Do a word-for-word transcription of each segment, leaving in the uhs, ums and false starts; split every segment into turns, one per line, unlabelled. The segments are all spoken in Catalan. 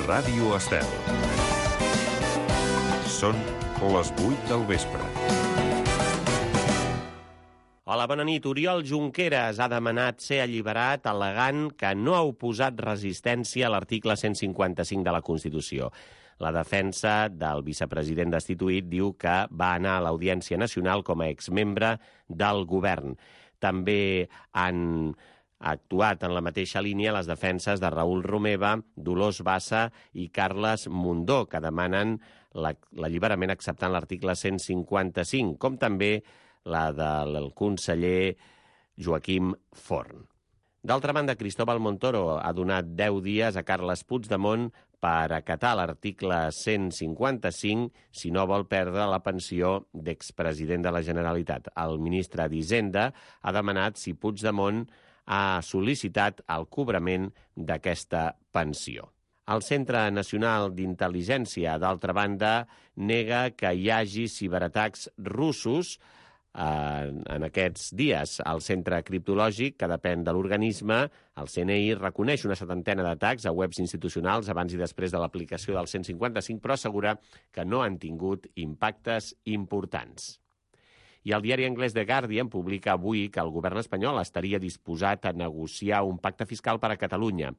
Ràdio Estel. Són les vuit del vespre.
Hola, bona nit. Oriol Junqueras ha demanat ser alliberat al·legant que no ha oposat resistència a l'article cent cinquanta-cinc de la Constitució. La defensa del vicepresident destituït diu que va anar a l'Audiència Nacional com a exmembre del govern. També han actuat en la mateixa línia les defenses de Raül Romeva, Dolors Bassa i Carles Mundó, que demanen l'alliberament acceptant l'article cent cinquanta-cinc, com també la del conseller Joaquim Forn. D'altra banda, Cristóbal Montoro ha donat deu dies a Carles Puigdemont per acatar l'article cent cinquanta-cinc si no vol perdre la pensió d'expresident de la Generalitat. El ministre d'Hisenda ha demanat si Puigdemont ha sol·licitat el cobrament d'aquesta pensió. El Centre Nacional d'Intel·ligència, d'altra banda, nega que hi hagi ciberatacs russos en aquests dies. El centre criptològic, que depèn de l'organisme, el C N I, reconeix una setantena d'atacs a webs institucionals abans i després de l'aplicació del cent cinquanta-cinc, però assegura que no han tingut impactes importants. I el diari anglès The Guardian publica avui que el govern espanyol estaria disposat a negociar un pacte fiscal per a Catalunya.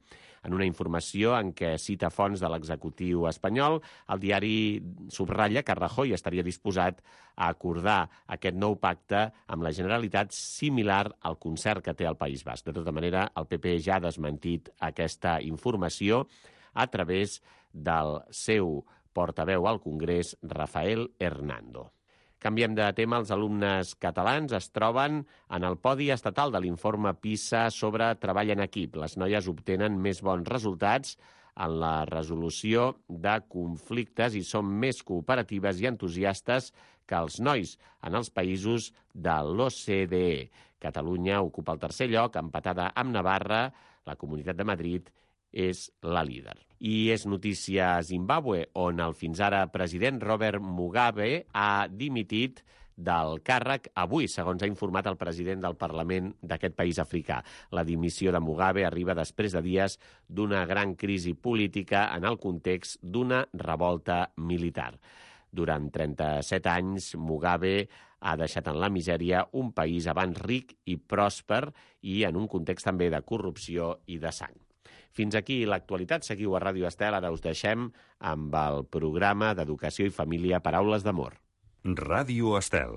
En una informació en què cita fonts de l'executiu espanyol, el diari subratlla que Rajoy estaria disposat a acordar aquest nou pacte amb la Generalitat similar al concert que té el País Basc. De tota manera, el P P ja ha desmentit aquesta informació a través del seu portaveu al Congrés, Rafael Hernando. Canviem de tema. Els alumnes catalans es troben en el podi estatal de l'informe PISA sobre treball en equip. Les noies obtenen més bons resultats en la resolució de conflictes i són més cooperatives i entusiastes que els nois en els països de l'O C D E. Catalunya ocupa el tercer lloc, empatada amb Navarra. La Comunitat de Madrid és la líder. I és notícia a Zimbàbue, on el fins ara president Robert Mugabe ha dimitit del càrrec avui, segons ha informat el president del Parlament d'aquest país africà. La dimissió de Mugabe arriba després de dies d'una gran crisi política en el context d'una revolta militar. Durant trenta-set anys, Mugabe ha deixat en la misèria un país abans ric i pròsper i en un context també de corrupció i de sang. Fins aquí l'actualitat. Seguiu a Ràdio Estel. Ara us deixem amb el programa d'Educació i Família Paraules d'Amor.
Ràdio Estel.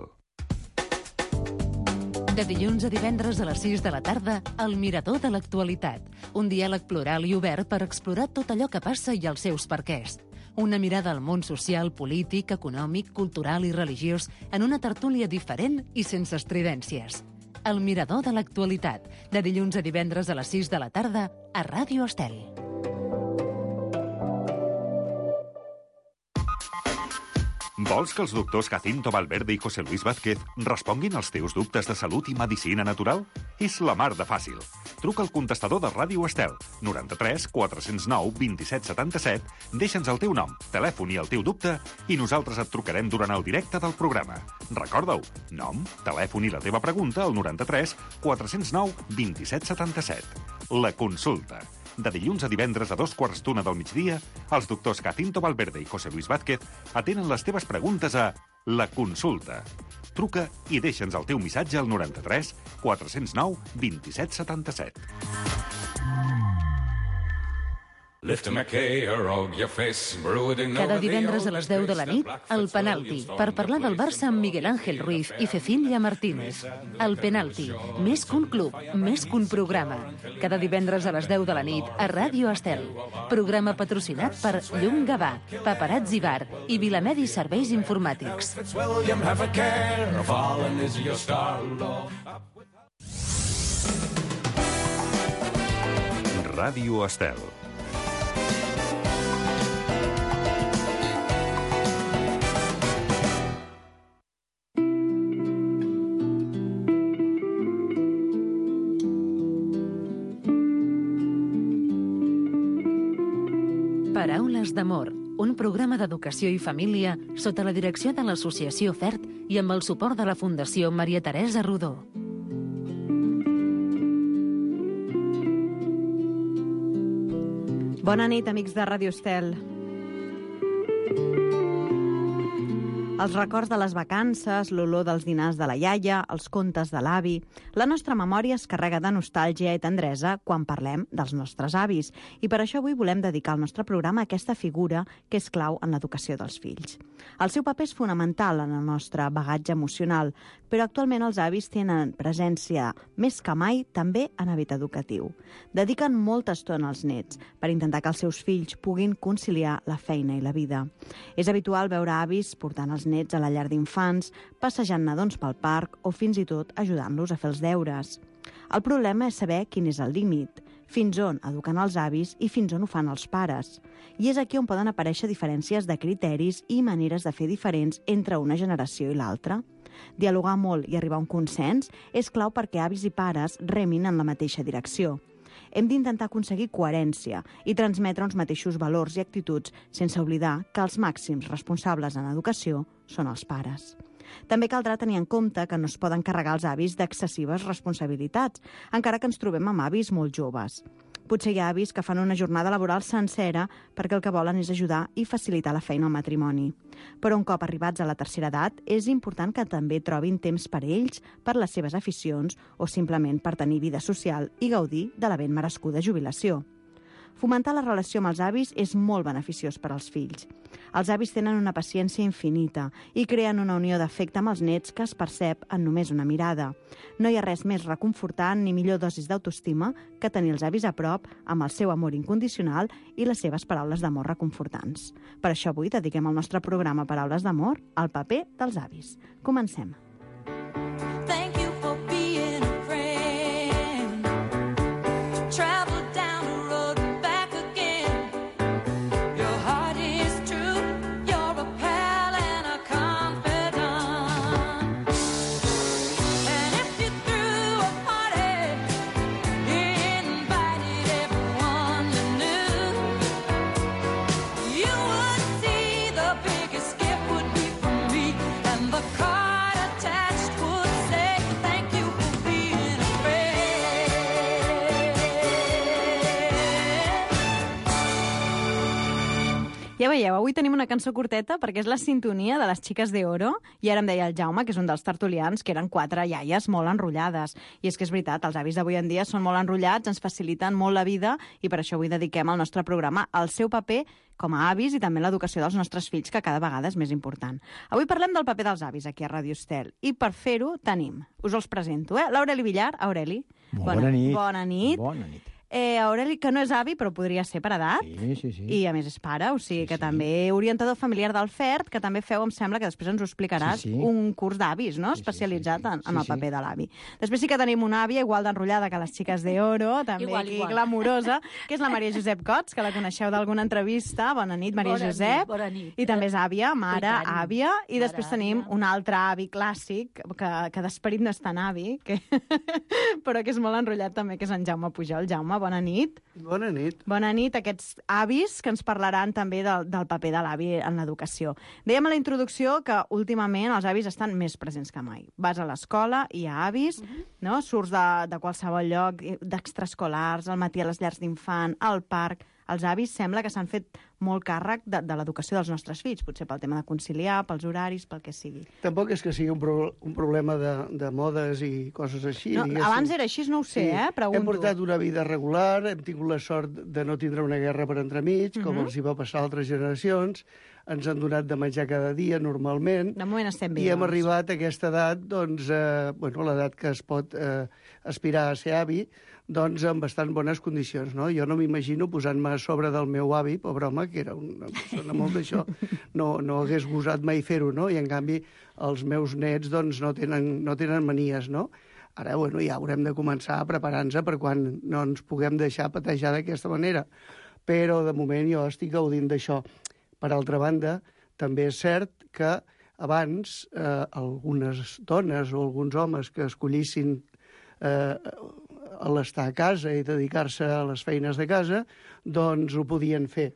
De dilluns a divendres a les sis de la tarda, El Mirador de l'Actualitat. Un diàleg plural i obert per explorar tot allò que passa i els seus perquès. Una mirada al món social, polític, econòmic, cultural i religiós en una tertúlia diferent i sense estridències. El Mirador de l'Actualitat, de dilluns a divendres a les sis de la tarda, a Ràdio Estel.
Vols que els doctors Jacinto Valverde i José Luis Vázquez responguin als teus dubtes de salut i medicina natural? És la mar de fàcil. Truca al contestador de Ràdio Estel, noranta-tres quatre cents nou vint-i-set setanta-set, deixa'ns el teu nom, telèfon i el teu dubte i nosaltres et trucarem durant el directe del programa. Recorda-ho, nom, telèfon i la teva pregunta al noranta-tres quatre cents nou vint-i-set setanta-set. La consulta. De dilluns a divendres a dos quarts d'una del migdia, els doctors Jacinto Valverde i José Luis Vázquez atenen les teves preguntes a La Consulta. Truca i deixa'ns el teu missatge al noranta-tres quatre cents nou vint-i-set setanta-set.
Cada divendres a les deu de la nit, El Penalti, per parlar del Barça amb Miguel Ángel Ruiz i Cecilia Martínez. El Penalti, més que un club, més que un programa. Cada divendres a les deu de la nit, a Ràdio Estel. Programa patrocinat per Llum Gavà, Paparazzi Bar i Vilamedi Serveis Informàtics.
Ràdio Estel.
Paraules d'Amor, un programa d'educació i família sota la direcció de l'Associació FERT i amb el suport de la Fundació Maria Teresa Rodó.
Bona nit, amics de Ràdio Estel. Els records de les vacances, l'olor dels dinars de la iaia, els contes de l'avi... La nostra memòria es carrega de nostàlgia i tendresa quan parlem dels nostres avis. I per això avui volem dedicar el nostre programa a aquesta figura que és clau en l'educació dels fills. El seu paper és fonamental en el nostre bagatge emocional, però actualment els avis tenen presència més que mai també en àmbit educatiu. Dediquen molta estona als nets per intentar que els seus fills puguin conciliar la feina i la vida. És habitual veure avis portant els nets a la llar d'infants, passejant nadons pel parc o fins i tot ajudant-los a fer els deures. El problema és saber quin és el límit, fins on eduquen els avis i fins on ho fan els pares. I és aquí on poden aparèixer diferències de criteris i maneres de fer diferents entre una generació i l'altra. Dialogar molt i arribar a un consens és clau perquè avis i pares remin en la mateixa direcció. Hem d'intentar aconseguir coherència i transmetre uns mateixos valors i actituds sense oblidar que els màxims responsables en educació són els pares. També caldrà tenir en compte que no es poden carregar els avis d'excessives responsabilitats, encara que ens trobem amb avis molt joves. Potser hi ha avis que fan una jornada laboral sencera perquè el que volen és ajudar i facilitar la feina al matrimoni. Però un cop arribats a la tercera edat, és important que també trobin temps per ells, per les seves aficions o simplement per tenir vida social i gaudir de la ben merescuda jubilació. Fomentar la relació amb els avis és molt beneficiós per als fills. Els avis tenen una paciència infinita i creen una unió d'afecte amb els nets que es percep en només una mirada. No hi ha res més reconfortant ni millor dosis d'autoestima que tenir els avis a prop amb el seu amor incondicional i les seves paraules d'amor reconfortants. Per això avui dediquem el nostre programa Paraules d'amor al paper dels avis. Comencem. Ja veieu, avui tenim una cançó curteta perquè és la sintonia de les Xiques d'Oro i ara em deia el Jaume, que és un dels tertulians, que eren quatre iaies molt enrotllades. I és que és veritat, els avis d'avui en dia són molt enrotllats, ens faciliten molt la vida i per això avui dediquem al nostre programa al seu paper com a avis i també l'educació dels nostres fills, que cada vegada és més important. Avui parlem del paper dels avis aquí a Ràdio Estel i per fer-ho tenim, us els presento, eh? l'Aureli Villar. Aureli.
Bona, bona nit.
Bona nit.
Bona nit.
Eh, Aureli, que no és avi, però podria ser per edat.
Sí, sí, sí.
I, a més, és pare, o sigui
Sí,
que
sí.
també orientador familiar del F E R T, que també feu, em sembla, que després ens ho explicaràs,
Sí, sí.
un curs d'avis, no?,
Sí, sí,
especialitzat
sí, sí.
en, en
Sí,
el
sí.
paper de l'avi. Després sí que tenim una àvia igual d'enrotllada que les Xiques d'Oro, també
Igual,
aquí
igual.
glamurosa, que és la Maria Josep Cots, que la coneixeu d'alguna entrevista. Bona nit, Maria
Bona
Josep.
nit, bona nit.
I també és àvia, mare,
I tant.
àvia. I
Mare,
després tenim
àvia.
un altre avi clàssic, que, que d'esperit no és tan avi, que... però que és molt enrotllat també, que és en Jaume Pujol. Jaume, bona nit.
Bona nit.
Bona nit, aquests avis que ens parlaran també del, del paper de l'avi en l'educació. Dèiem a la introducció que últimament els avis estan més presents que mai. Vas a l'escola, hi ha avis, uh -huh. no? Surts de, de qualsevol lloc, d'extraescolars, al matí a les llars d'infant, al parc. Els avis sembla que s'han fet molt càrrec de, de l'educació dels nostres fills, potser pel tema de conciliar, pels horaris, pel que sigui.
Tampoc és que sigui un, pro un problema de, de modes i coses així.
No,
diguéssim.
abans era així, no ho sé,
Sí.
eh? Pregunto.
Hem portat una vida regular, hem tingut la sort de no tindre una guerra per entremig, com
Mhm.
els hi va passar a altres generacions. Ens han donat de menjar cada dia, normalment.
De moment estem bé.
I hem
doncs.
arribat a aquesta edat, doncs, eh, bueno, l'edat que es pot eh, aspirar a ser avi, doncs en bastant bones condicions, no? Jo no m'imagino posant-me a sobre del meu avi, pobre home, que era una persona molt d'això, no, no hagués gosat mai fer-ho, no? I en canvi els meus nets, doncs, no tenen, no tenen manies, no? Ara, bueno, ja haurem de començar a preparar-nos per quan no ens puguem deixar patejar d'aquesta manera. Però, de moment, jo estic gaudint d'això. Per altra banda, també és cert que abans eh, algunes dones o alguns homes que escollissin eh, l'estar a casa i dedicar-se a les feines de casa, doncs ho podien fer.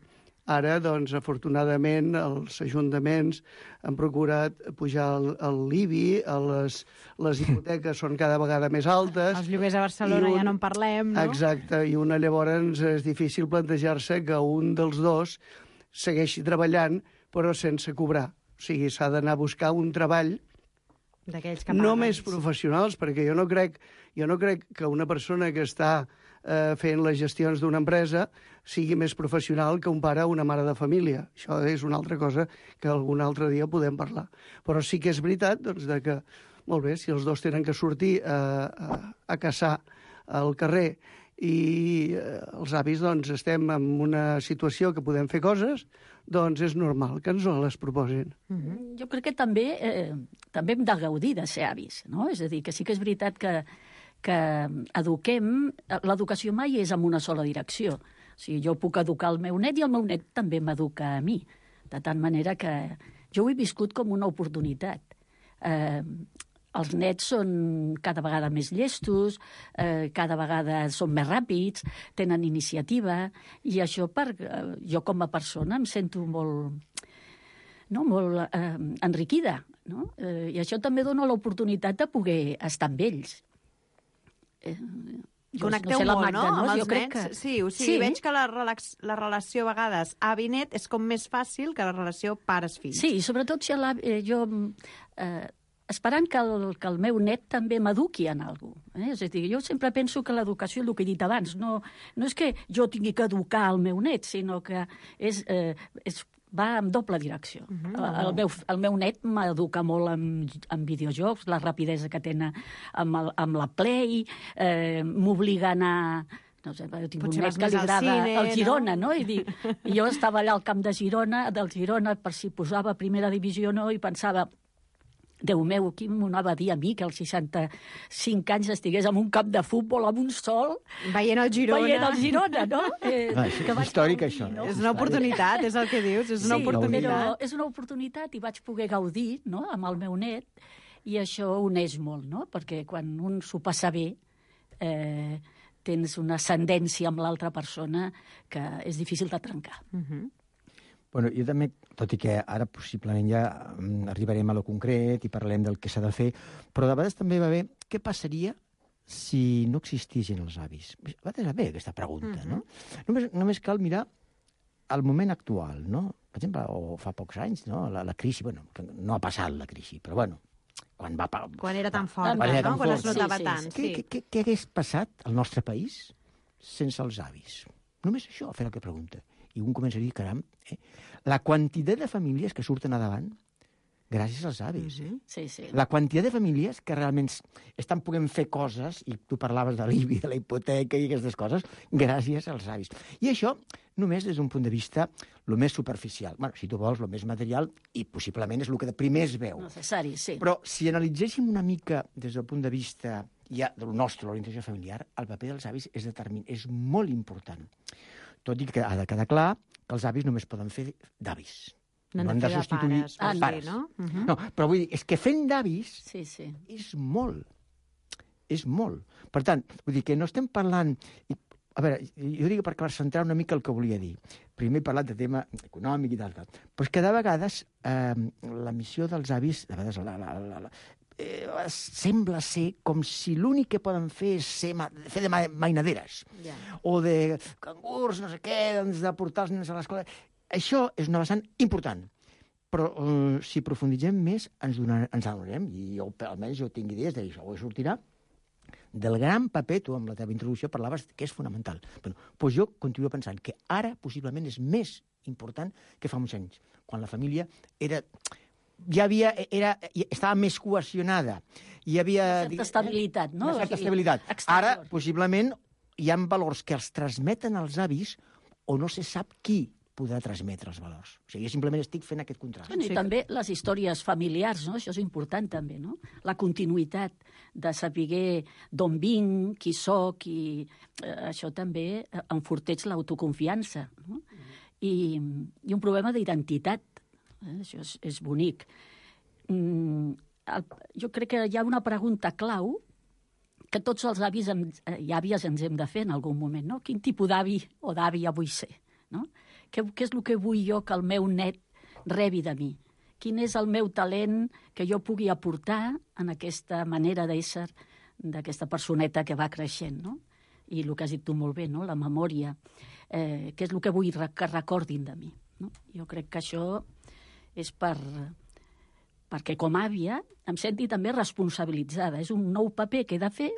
Ara, doncs, afortunadament, els ajuntaments han procurat pujar el, el l'I B I, les, les hipoteques són cada vegada més altes.
Els lloguers a Barcelona
un,
ja no en parlem, no?
Exacte, i una llavors és difícil plantejar-se que un dels dos segueixi treballant, però sense cobrar. O sigui, s'ha d'anar a buscar un treball
D'aquells que
no
paguen.
més professionals, perquè jo no crec, jo no crec que una persona que està eh, fent les gestions d'una empresa sigui més professional que un pare o una mare de família. Això és una altra cosa que algun altre dia podem parlar. Però sí que és veritat doncs, de que, molt bé, si els dos tenen que sortir a, a, a caçar al carrer i eh, els avis doncs, estem en una situació que podem fer coses, doncs és normal que ens les proposin.
Mm-hmm. Jo crec que també, eh, també hem de gaudir de ser avis, no? És a dir, que sí que és veritat que, que eduquem... L'educació mai és en una sola direcció. O sigui, jo puc educar el meu net i el meu net també m'educa a mi. De tal manera que jo ho he viscut com una oportunitat. Eh, els nets són cada vegada més llestos, eh, cada vegada són més ràpids, tenen iniciativa, i això per, eh, jo com a persona em sento molt, no, molt eh, enriquida. No? Eh, I això també dona l'oportunitat de poder estar amb ells. Eh,
Connecteu
no sé la
molt,
Magda,
no?,
no?
amb els
Jo crec
nens.
que...
Sí, o sigui,
Sí.
veig que la, relax, la relació a vegades avi-net és com més fàcil que la relació pares-fills.
Sí, i sobretot si la, eh, jo... Eh, esperant que el, que el meu net també m'eduqui en alguna cosa. Eh? És a dir, jo sempre penso que l'educació, el que he dit abans, no, no és que jo tingui que educar el meu net, sinó que és, eh, és, va en doble direcció. Uh -huh. el, el, meu, el meu net m'educa molt amb, amb videojocs, la rapidesa que tenen amb, el, amb la Play, eh, m'obliga a anar... No sé, jo tinc
Potser
un net
vas
que
més
li
al
agrada
cine,
el Girona,
no?
no? I, dic, I jo estava allà al camp de Girona, del Girona, per si posava primera divisió o no, i pensava... Déu meu, qui m'ho anava a dir a mi que als seixanta-cinc anys estigués en un camp de futbol amb un sol...
Veient el Girona.
Veient el Girona, no? Eh,
Ah, és
que vaig
històric,
gaudir,
això, eh?
no?
És una oportunitat, és el que dius, és una
Sí,
oportunitat.
però és una oportunitat i vaig poder gaudir, no?, amb el meu net, i això uneix molt, no? Perquè quan un s'ho passa bé, eh, tens una ascendència amb l'altra persona que és difícil de trencar.
Uh -huh.
Bueno, jo també, tot i que ara possiblement ja mm, arribarem a lo concret i parlem del que s'ha de fer, però de vegades també va bé què passaria si no existissin els avis. A vegades va bé aquesta pregunta, uh -huh. no? Només, només cal mirar el moment actual, no? Per exemple, o fa pocs anys, no? La, la crisi, bueno, no ha passat la crisi, però bueno, quan va...
Quan era tan forta,
Quan
no?
era tan
Quan es
fort.
notava
Sí, sí,
tant.
sí.
Què, què, què, què hagués passat al nostre país sense els avis? Només això, fer la pregunta. I un comença a dir, caram, eh? la quantitat de famílies que surten a davant gràcies als avis. Eh?
Sí, sí.
La quantitat de famílies que realment estan podent fer coses, i tu parlaves de l'I B I, de la hipoteca i aquestes coses, gràcies als avis. I això només des d'un punt de vista el més superficial. Bueno, si tu vols, el més material, i possiblement és el que de primer es veu.
Necessari, sí.
Però si analitzéssim una mica des del punt de vista ja del nostre, l'orientació familiar, el paper dels avis és determin, és molt important. Tot i que ha de quedar clar que els avis només poden fer d'avis.
No
No
han
han
de
de
fer de
substituir
pares,
els
vols
pares.
dir, no? Uh -huh.
No, però vull dir, és que fent d'avis
Sí, sí.
és molt. És molt. Per tant, vull dir que no estem parlant... A veure, jo dic per centrar una mica el que volia dir. Primer he parlat de tema econòmic i tal, tal. Però és que de vegades eh, la missió dels avis, de vegades la, la, la, la, eh, sembla ser com si l'únic que poden fer és ser, fer de mainaderes.
Ja.
O de cangurs, no sé què, doncs, de portar els nens a l'escola. Això és una vessant important. Però eh, si profunditzem més ens, donar, ens adonarem, i jo, almenys jo tinc idees d'això, ho sortirà, del gran paper, tu amb la teva introducció parlaves que és fonamental. Bueno, doncs jo continuo pensant que ara possiblement és més important que fa uns anys, quan la família era... ja havia, era, estava més cohesionada. Hi havia...
Una certa estabilitat, no?
Una certa estabilitat.
Exterior.
Ara, possiblement, hi ha valors que els transmeten els avis o no se sap qui podrà transmetre els valors. O sigui, jo simplement estic fent aquest contrast.
Bueno, I també les històries familiars, no? Això és important també, no? La continuïtat de saber d'on vinc, qui sóc, i eh, això també enforteix l'autoconfiança, no? I, i un problema d'identitat. Eh? Això és, és bonic. Mm, el, jo crec que hi ha una pregunta clau que tots els avis hem, i àvies ens hem de fer en algun moment, no? Quin tipus d'avi o d'àvia vull ser, no? què, què és el que vull jo que el meu net rebi de mi? Quin és el meu talent que jo pugui aportar en aquesta manera d'ésser d'aquesta personeta que va creixent, no? I el que has dit tu molt bé, no? La memòria, eh, què és el que vull que recordin de mi, no? Jo crec que això és per... perquè com a àvia em senti també responsabilitzada. És un nou paper que he de fer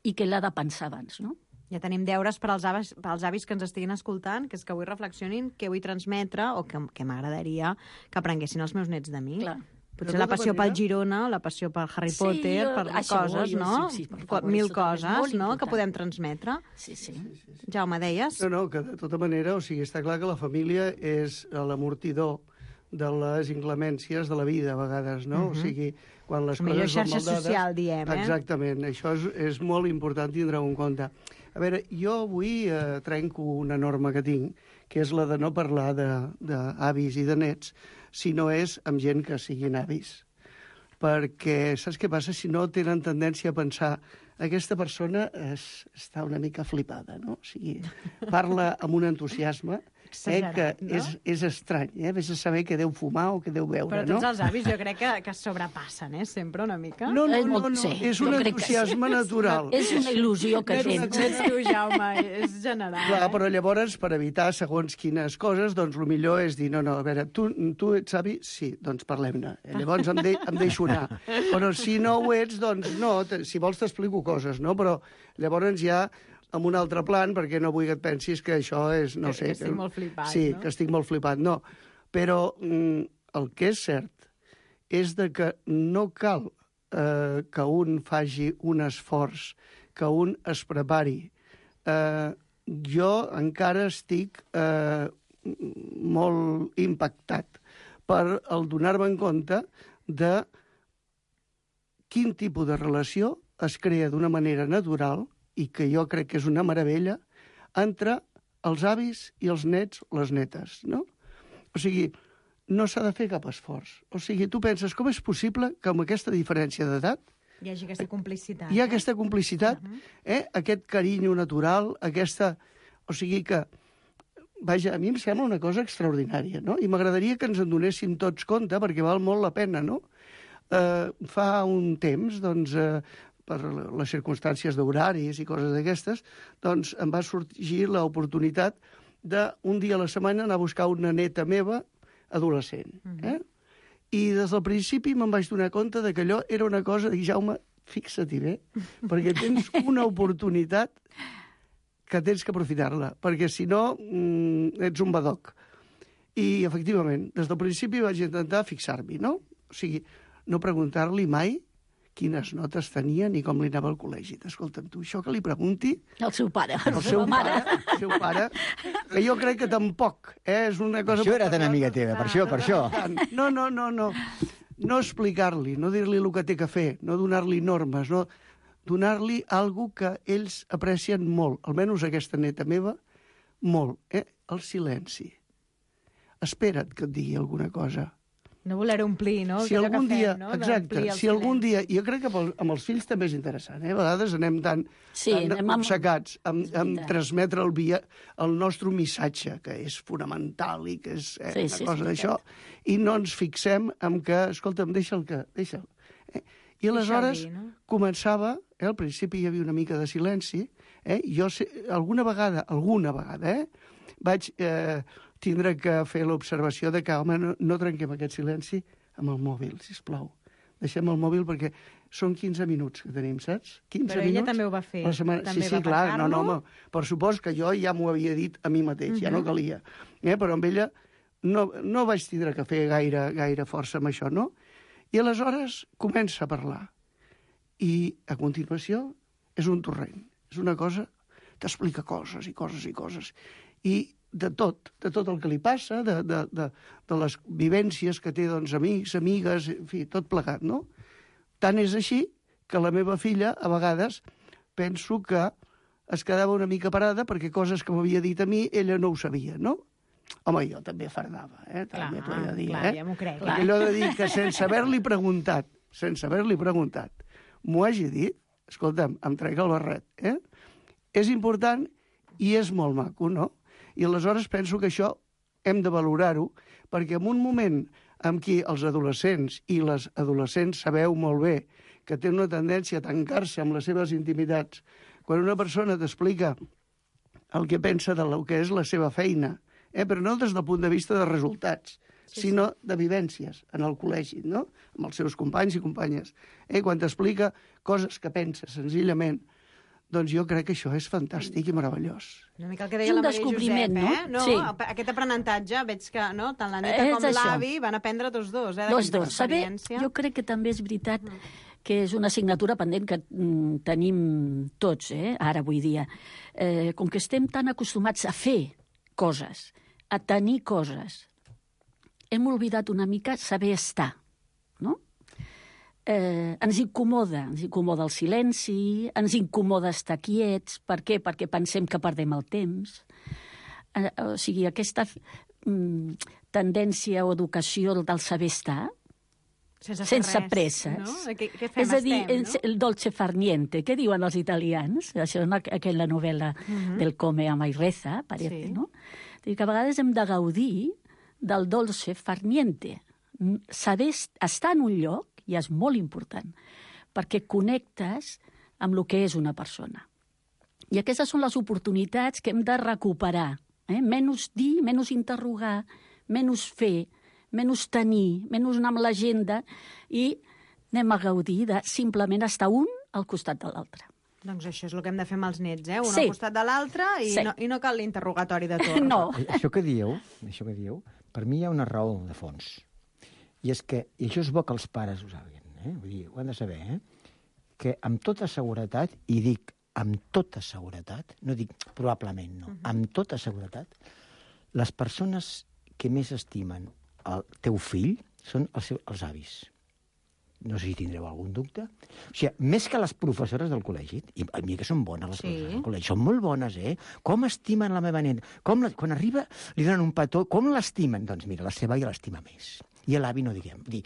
i que l'ha de pensar abans, no?
Ja tenim deures per als avis, per als avis que ens estiguin escoltant, que és que avui reflexionin què vull transmetre o que, que m'agradaria que aprenguessin els meus nets de mi.
Clar.
Potser la passió pel Girona, la passió pel Harry
Sí,
Potter,
jo-
per
això,
coses,
jo-
no?
sí, sí, per favor,
Mil
això també és
coses,
molt
no?, que
important.
podem transmetre.
Sí, sí.
Jaume, deies?
No, no, que de tota manera, o sigui, està clar que la família és l'amortidor de les inclemències de la vida, a vegades, no?
Mhm.
O sigui, quan les
La millor
coses van
xarxa
maldades...
social, diem, eh?
Exactament, això és, és molt important tindre-ho en compte. A veure, jo avui eh, trenco una norma que tinc, que és la de no parlar d'avis i de nets, si no és amb gent que siguin avis. Perquè, saps què passa? Si no, tenen tendència a pensar aquesta persona es, està una mica flipada, no? O sigui, parla amb un entusiasme eh, que
Exagerat, no?
és, és estrany, eh? Vés a saber què deu fumar o què deu beure,
Però
no?
tots els avis jo crec que, que es sobrepassen, eh? Sempre una mica.
No, no,
És
no,
molt-
no,
sí,
és
jo
un
crec que sí.
entusiasme natural.
És una il·lusió que
no ets,
tens.
no ets tu, Jaume, és general.
Clar,
eh?
però llavors, per evitar segons quines coses, doncs el millor és dir, no, no, a veure, tu, tu ets avi? Sí, doncs parlem-ne. Llavors em, de, em deixo anar. Però si no ho ets, doncs no, te, si vols t'explico coses, no? Però llavors ja amb un altre plan, perquè no vull que et pensis que això és, no
Que-
sé...
que estic molt flipat,
Sí,
no?
que estic molt flipat, no. Però mm, el que és cert és de que no cal eh, que un faci un esforç, que un es prepari. Eh, jo encara estic eh, molt impactat per el donar-me en compte de quin tipus de relació es crea d'una manera natural, i que jo crec que és una meravella, entre els avis i els nets o les netes, no? O sigui, no s'ha de fer cap esforç. O sigui, tu penses, com és possible que amb aquesta diferència d'edat
Hi hagi aquesta complicitat.
hi ha
eh?
aquesta complicitat, eh? Aquest carinyo natural, aquesta... O sigui que, vaja, a mi em sembla una cosa extraordinària, no? I m'agradaria que ens en donéssim tots compte, perquè val molt la pena, no? Eh, fa un temps, doncs, eh, per les circumstàncies d'horaris i coses d'aquestes, doncs em va sorgir l'oportunitat d'un dia a la setmana anar a buscar una neta meva adolescent. Eh? I des del principi me'n vaig donar compte de que allò era una cosa de dir, Jaume, fixa-t'hi bé, perquè tens una oportunitat que tens que aprofitar-la, perquè si no mm, ets un badoc. I, efectivament, des del principi vaig intentar fixar-m'hi, no? O sigui, no preguntar-li mai quines notes tenia ni com li anava al col·legi. Escolta'm, tu, això que li pregunti...
El seu pare,
El
la
seu
seva mare.
pare, el seu pare, que jo crec que tampoc, eh? És una cosa...
Això era tan amiga teva, per això, per això.
No, no, no, no. No explicar-li, no dir-li el que té que fer, no donar-li normes, no donar-li algo que ells aprecien molt, almenys aquesta neta meva, molt, eh? El silenci. Espera't que et digui alguna cosa.
No voler omplir, no?
Si
Allò que
algun dia,
fem, no?
exacte,
D'omplir el
si algun
silenci.
dia, jo crec que pel, amb els fills també és interessant, eh? A vegades anem tan,
Sí,
tan
anem amb-
obcecats amb,
és
amb
veritat.
transmetre el, via, el nostre missatge, que és fonamental i que és eh,
Sí,
una
sí, és
cosa d'això,
veritat.
i no ens fixem en que, escolta'm, deixa'l que, deixa'l. Eh? I aleshores
dir, no?
començava, eh, al principi hi havia una mica de silenci, eh? Jo sé, alguna vegada, alguna vegada, eh, vaig eh, tindre que fer l'observació de que, home, no, no trenquem aquest silenci amb el mòbil, sisplau. Deixem el mòbil perquè són quinze minuts que tenim, saps? quinze
Però ella
minuts
també ho va fer.
a la setmana.
També
sí, sí,
va
clar, no,
passar-lo.
no, home, per supost que jo ja m'ho havia dit a mi mateix, ja no calia. Eh? Però amb ella no, no vaig tindre que fer gaire, gaire força amb això, no? I aleshores comença a parlar. I a continuació és un torrent, és una cosa, t'explica coses i coses i coses. I de tot, de tot el que li passa, de, de, de, de les vivències que té, doncs, amics, amigues, en fi, tot plegat, no? Tant és així que la meva filla, a vegades, penso que es quedava una mica parada perquè coses que m'havia dit a mi, ella no ho sabia, no? Home, jo també fardava, eh? També t'ho he de dir,
clar,
eh?
ja m'ho crec.
Perquè allò de dir que sense haver-li preguntat, sense haver-li preguntat, m'ho hagi dit, escolta'm, em trec el barret, eh? És important i és molt maco, no? I aleshores penso que això hem de valorar-ho, perquè en un moment en què els adolescents i les adolescents sabeu molt bé que tenen una tendència a tancar-se amb les seves intimitats, quan una persona t'explica el que pensa del que és la seva feina, eh? Però no des del punt de vista de resultats, sí, sinó sí. de vivències en el col·legi, no? Amb els seus companys i companyes. Eh? Quan t'explica coses que pensa senzillament, doncs jo crec que això és fantàstic i meravellós.
Una mica el que deia la Maria Josep,
no?
eh? No,
sí.
Aquest aprenentatge, veig que no? Tant la Neta com l'avi van aprendre tots dos, eh?
Dos, dos. Saber, jo crec que també és veritat que és una assignatura pendent que mm, tenim tots, eh? Ara, avui dia. Eh, com que estem tan acostumats a fer coses, a tenir coses, hem oblidat una mica saber estar, no? Eh, ens incomoda, ens incomoda el silenci, ens incomoda estar quiets. Per què? Perquè pensem que perdem el temps. Eh, o sigui, aquesta mm, tendència o educació del saber estar,
sense,
sense
res,
presses.
No? Què, què fem?
És a dir,
Estem, no?
el dolce far niente, què diuen els italians? Això és aquella novel·la uh-huh. del Come, Ama i Reza, parece, sí. no? Que a vegades hem de gaudir del dolce far niente. Saber estar en un lloc ja és molt important, perquè connectes amb el que és una persona. I aquestes són les oportunitats que hem de recuperar. Eh? Menys dir, menys interrogar, menys fer, menys tenir, menys anar amb l'agenda i anem a gaudir de simplement estar un al costat de l'altre.
Doncs això és el que hem de fer amb els nets, eh? Un
sí.
al costat de l'altre i,
sí.
no, i no cal l'interrogatori de torn.
No.
Això que dieu, això que dieu, per mi hi ha una raó de fons. I és que, i això és bo que els pares ho sàpiguen, eh? Vull dir, ho han de saber, eh? Que amb tota seguretat, i dic amb tota seguretat, no dic probablement, no, uh-huh. amb tota seguretat, les persones que més estimen el teu fill són els, seus, els avis. No sé si tindreu algun dubte. O sigui, més que les professores del col·legi, i a mi que són bones les sí. professores del col·legi, són molt bones, eh? Com estimen la meva nena? Com la, quan arriba li donen un petó, com l'estimen? Doncs mira, la seva ja l'estima més. I l'avi no diguem, dir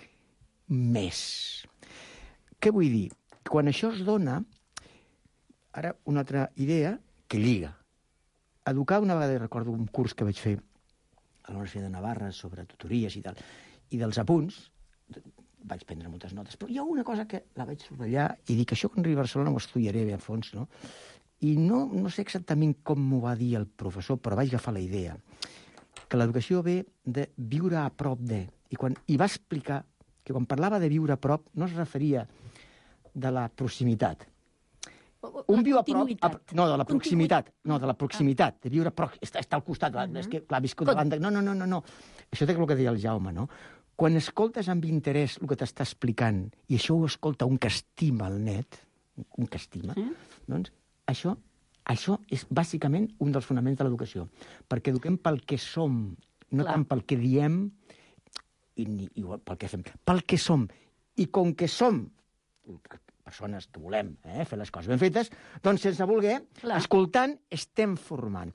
més. Què vull dir? Quan això es dona, ara una altra idea que lliga. Educar, una vegada recordo un curs que vaig fer a la Universitat de Navarra sobre tutories i tal, i dels apunts, vaig prendre moltes notes, però hi ha una cosa que la vaig subratllar i dic, això quan arribi a Barcelona ho estudiaré bé a fons, no? I no, no sé exactament com m'ho va dir el professor, però vaig agafar la idea que l'educació ve de viure a prop de. I, quan, i va explicar que quan parlava de viure a prop no es referia de la proximitat. Un viu a prop... A, no, de la proximitat. No, de la proximitat. De viure a prop. Està, està al costat. Uh-huh. És que, clar, viscut davant de... No, no, no, no, no. Això té el que deia el Jaume, no? Quan escoltes amb interès el que t'està explicant, i això ho escolta un que estima el net, un que estima, sí. doncs això, això és bàsicament un dels fonaments de l'educació. Perquè eduquem pel que som, no clar. Tant pel que diem, i, i pel que fem. Pel que som. I com que som persones que volem eh, fer les coses ben fetes, doncs sense voler, clar. Escoltant, estem formant.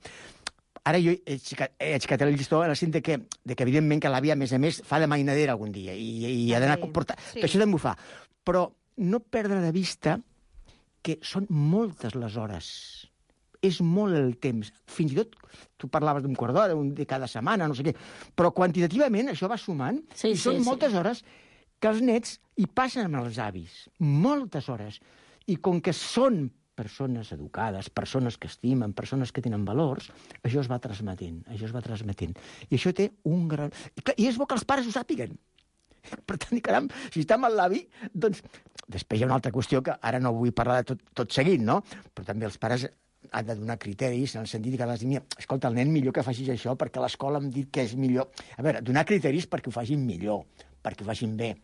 Ara jo he aixecat el llistó en el sentit que, de que evidentment que l'àvia, a més a més, fa de mainadera algun dia i, i ha d'anar a comportar... Sí. Que això també ho fa. Però no perdre de vista que són moltes les hores. És molt el temps. Fins i tot, tu parlaves d'un quart d'hora, un de cada setmana, no sé què, però quantitativament això va sumant sí, i són sí, moltes sí. hores que els nets hi passen amb els avis. Moltes hores. I com que són persones educades, persones que estimen, persones que tenen valors, això es va transmetent, això es va transmetent. I això té un gran... I és bo que els pares ho sàpiguen. Per tant, caram, si està amb l'avi, doncs... Després hi ha una altra qüestió que ara no vull parlar de tot, tot seguit, no? Però també els pares han de donar criteris en el sentit que has de dir, escolta, el nen millor que facis això perquè l'escola em dit que és millor. A veure, donar criteris perquè ho facin millor, perquè ho facin bé.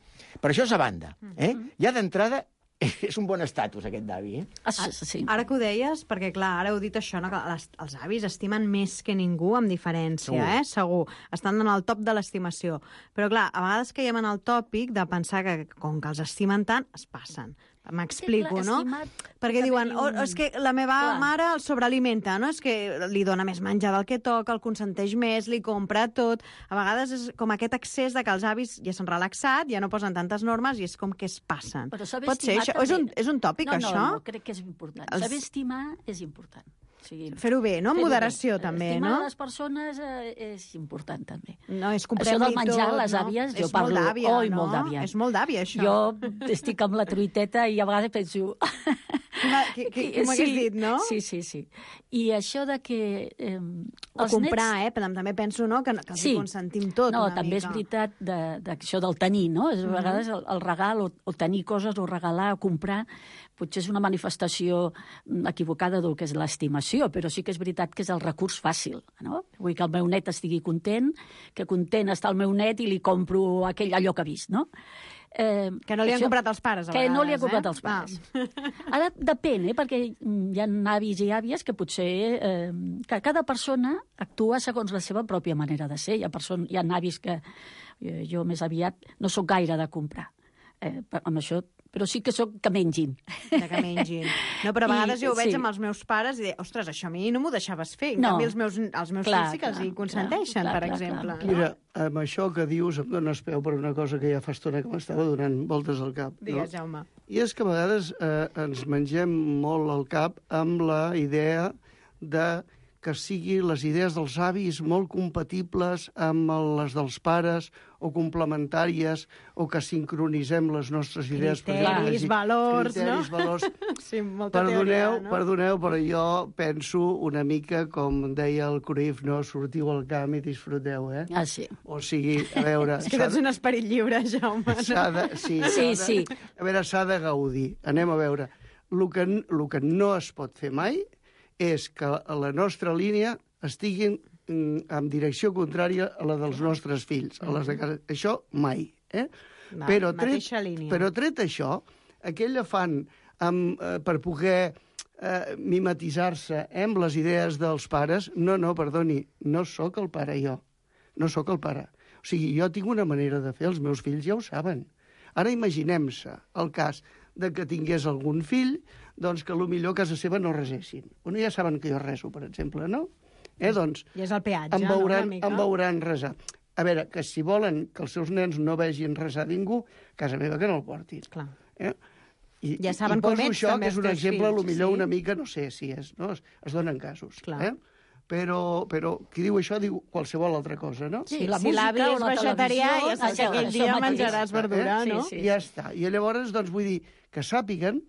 Però això és a banda. Eh? Ja d'entrada és un bon estatus, aquest d'avi, eh?
Ah, sí. Ara que ho deies, perquè, clar, ara heu dit això, no? Que les, els avis estimen més que ningú, amb diferència, segur. eh? Segur. Estan en el top de l'estimació. Però, clar, a vegades caiem en el tòpic de pensar que, com que els estimen tant, es passen. M'explico, sí, no? Perquè diuen, oh, és que la meva clar. mare el sobrealimenta, no? És que li dona més menjar del que toca, el consenteix més, li compra tot. A vegades és com aquest excés de que els avis ja s'han relaxat, ja no posen tantes normes i és com que es passen. Pot ser això? És un, és un tòpic,
no,
això?
No, no, crec que és important. Els... Saber estimar és important. Sí.
Fer-ho bé, no? Amb moderació,
bé.
també,
Estimar
no?
les persones eh, és important, també.
No, és
Això
comprem-li
del menjar,
tot,
les
no?
àvies, jo
És
parlo...
molt d'àvia,
Oi,
no?
molt d'àvia.
És molt d'àvia, això.
Jo estic amb la truiteta i a vegades penso...
Què, què, què m'hagués
sí,
dit, no?
Sí, sí, sí. I això de que... Eh,
O comprar, eh? Però també penso, no?, que, que els
Sí.
hi consentim tot
No,
una
també
mica.
és veritat de, de això del tenir, no? És, a vegades el, el regal o, o tenir coses o regalar o comprar potser és una manifestació equivocada del que és l'estimació, però sí que és veritat que és el recurs fàcil, no? Vull que el meu net estigui content, que content està el meu net i li compro aquell allò que ha vist, no? Eh,
Que no li han
això-
comprat els pares, a
que
vegades,
no li han comprat
eh?
els pares. Ara depèn, eh? Perquè hi ha avis i àvies que potser... Eh, que cada persona actua segons la seva pròpia manera de ser. Hi ha, person, hi ha avis que eh, jo més aviat no sóc gaire de comprar. Eh, amb això, però sí que sóc que mengin.
De que mengin. No, però a vegades
I-
jo ho veig
sí.
amb els meus pares i dic, ostres, això a mi no m'ho deixaves fer. En
No.
canvi, els meus, els meus
Clar,
fills sí que els
clar,
hi consenteixen,
clar,
per
clar,
exemple.
clar.
no?
Mira, amb això que dius em dones peu per una cosa que ja fa estona que m'estava donant voltes al cap.
Digues,
no?
Jaume.
I és que a vegades eh, ens mengem molt al cap amb la idea de que sigui les idees dels avis molt compatibles amb les dels pares o complementàries o que sincronitzem les nostres idees. per exemple,
Criteris,
i-
valors,
criteris,
no?
valors.
Sí, molta
Perdoneu,
teoria, no?
perdoneu, però jo penso una mica com deia el Cruyff, no? Sortiu al camp i disfruteu, eh?
Ah, sí.
O sigui, a veure...
És que
s'ha
tens
de-
un esperit lliure, Jaume.
s'ha de, sí,
Sí,
s'ha de,
sí.
A veure, s'ha de gaudir. Anem a veure. El que, el que no es pot fer mai és que la nostra línia estigui mm, en direcció contrària a la dels nostres fills, a les de casa. Això mai. Eh?
Va,
però, tret,
mateixa línia.
però tret això, aquell afany amb, eh, per poder eh, mimetitzar-se eh, amb les idees dels pares, no, no, perdoni, no sóc el pare jo. No sóc el pare. O sigui, jo tinc una manera de fer, els meus fills ja ho saben. Ara imaginem-se el cas de que tingués algun fill, doncs que potser a casa seva no resessin. Bueno, ja saben que jo reso, per exemple, no? Eh, doncs,
I és el peatge,
em veuran,
no, una mica?
em veuran resar. A veure, que si volen que els seus nens no vegin resar ningú, a casa meva que no el portin.
Clar.
Eh? I,
Ja saben
i poso
com ets,
això,
també,
que és
els
un
teus
exemple,
fills,
potser
sí?
una mica, no sé si és, no? Es, es donen casos.
Clar.
Eh? Però, però qui diu això diu qualsevol altra cosa, no?
Sí,
Sí,
la
si
música
l'avi
o
és
la
vegetarià,
televisió,
ja saps que
això-
aquell
això
dia
mateix.
menjaràs verdura,
Sí,
no?
sí.
I ja està. I llavors, doncs, vull dir que sàpiguen,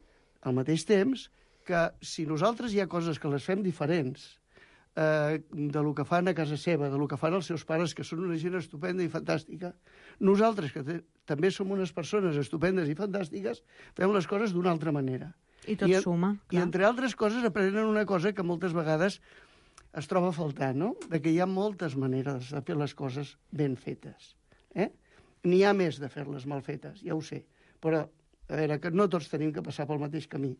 al mateix temps, que si nosaltres hi ha coses que les fem diferents eh, de lo que fan a casa seva, de lo que fan els seus pares, que són una gent estupenda i fantàstica, nosaltres, que te, també som unes persones estupendes i fantàstiques, fem les coses d'una altra manera.
I tot
I,
suma,
I,
clar.
entre altres coses, aprenen una cosa que moltes vegades es troba a faltar, no? De que hi ha moltes maneres de fer les coses ben fetes. Eh? N'hi ha més de fer-les mal fetes, ja ho sé. Però, a veure, que no tots tenim que passar pel mateix camí.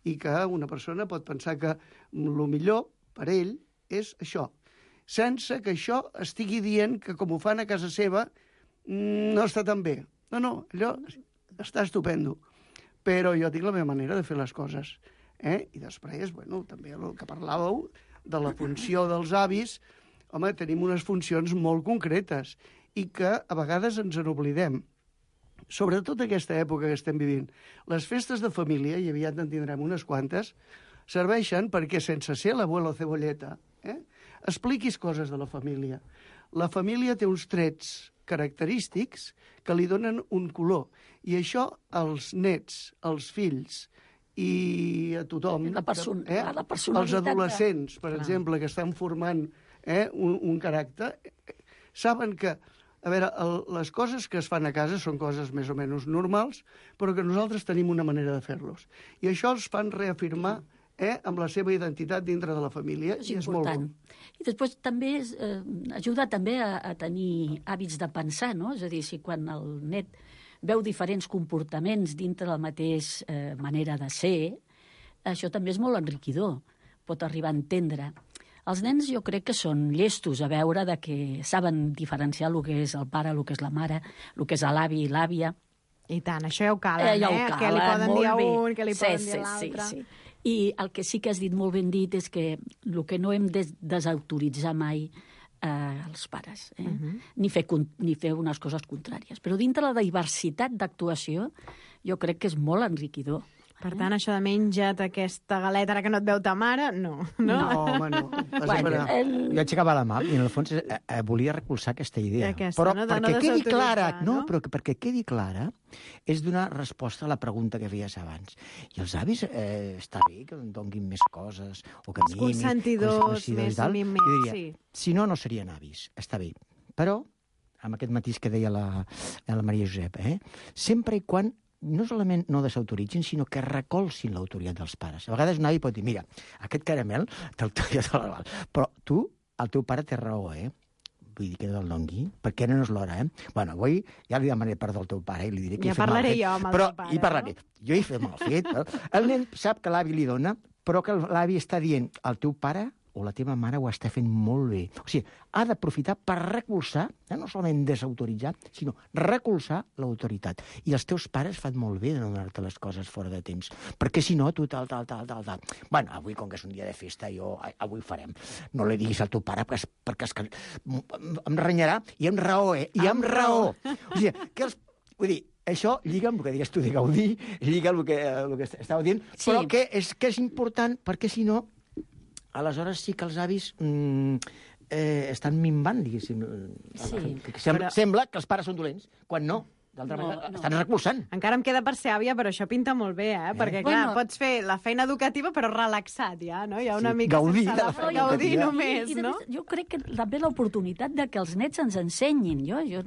I que una persona pot pensar que el millor per ell és això. Sense que això estigui dient que, com ho fan a casa seva, no està tan bé. No, no, allò està estupendo. Però jo tinc la meva manera de fer les coses. Eh? I després, bueno, també el que parlàveu de la funció dels avis, home, tenim unes funcions molt concretes i que a vegades ens en oblidem. Sobretot aquesta època que estem vivint. Les festes de família, i aviat en tindrem unes quantes, serveixen perquè, sense ser l'abuelo cebolleta, eh, expliquis coses de la família. La família té uns trets característics que li donen un color. I això als nets, als fills i a tothom,
La person-
eh,
la
als
personalitat de-
adolescents, per
Clar.
exemple, que estan formant eh, un, un caràcter, saben que, a veure, el, les coses que es fan a casa són coses més o menys normals, però que nosaltres tenim una manera de fer-los. I això els fan reafirmar eh, amb la seva identitat dintre de la família,
És
i és molt
important.
bo.
I després també és, eh, ajuda també a, a tenir hàbits de pensar, no? És a dir, si quan el net veu diferents comportaments dintre de la mateixa eh, manera de ser, això també és molt enriquidor, pot arribar a entendre. Els nens jo crec que són llestos a veure de que saben diferenciar el que és el pare, el que és la mare, el que és l'avi i l'àvia.
I tant, això ja ho calen,
Eh, ja ho
eh?
calen,
Què li poden
molt
dir a
bé.
un, què li
Sí,
poden
sí,
dir a l'altre.
Sí, sí. I el que sí que has dit molt ben dit és que el que no hem de desautoritzar mai eh, els pares, eh?
Mhm.
ni, fer, con- ni fer unes coses contràries. Però dintre la diversitat d'actuació jo crec que és molt enriquidor.
Per tant, això de menja't aquesta galeta ara que no et veu ta mare, no. No,
no home, no.
Bueno, el...
Jo aixecava la mà i, en el fons, eh, eh, volia recolzar aquesta idea.
Aquesta,
però
no? De
perquè
no
quedi clara,
no?
no, però perquè quedi clara, és donar resposta a la pregunta que feies abans. I els avis, eh, està bé que em donguin més coses, o que
Els
mimin...
consentidors, més mimets,
jo diria,
sí.
si no, no serien avis, està bé. Però, amb aquest matís que deia la, la Maria Josep, eh, sempre i quan no solament no desautoritzin, sinó que recolzin l'autoritat dels pares. A vegades un avi pot dir, mira, aquest caramel t'autoria de la... Però tu, el teu pare té raó, eh? Vull dir que no el dongui, perquè no és l'hora, eh? Bueno, avui ja li demanaré perdó al teu pare i li diré que
ja
he fet mal
parlaré
fet.
jo amb el
però,
teu pare,
hi parlaré. No? Jo he fet mal fet. Però el nen sap que l'avi li dona, però que l'avi està dient al teu pare o la teva mare ho està fent molt bé. O sigui, ha d'aprofitar per recolzar, eh, no solament desautoritzar, sinó recolzar l'autoritat. I els teus pares fan molt bé de no donar-te les coses fora de temps, perquè si no, tu tal, tal, tal, tal, tal. Bueno, avui, com que és un dia de festa, jo, avui farem. No li diguis al teu pare, perquè, és, perquè és que em renyarà, i amb raó, eh? I amb raó. O sigui, que els... Vull dir, això lliga amb el que deies tu de gaudir, lliga amb el que, el que estava dient, sí. Però que és, que és important, perquè si no, aleshores sí que els avis mm, eh, estan minvant, diguéssim.
Sí.
Sembla,
però...
sembla que els pares són dolents, quan no. D'altra
no,
manera,
no.
estan recolzant.
Encara em queda per ser àvia, però això pinta molt bé, eh? eh? Perquè, clar,
bueno,
pots fer la feina educativa, però relaxat, ja, no? Hi ha una
sí,
mica
gaudir
sense
de
la
la feina
gaudir
educativa.
només,
I, i
no?
més, jo crec que també l'oportunitat de que els nets ens ensenyin. Jo, jo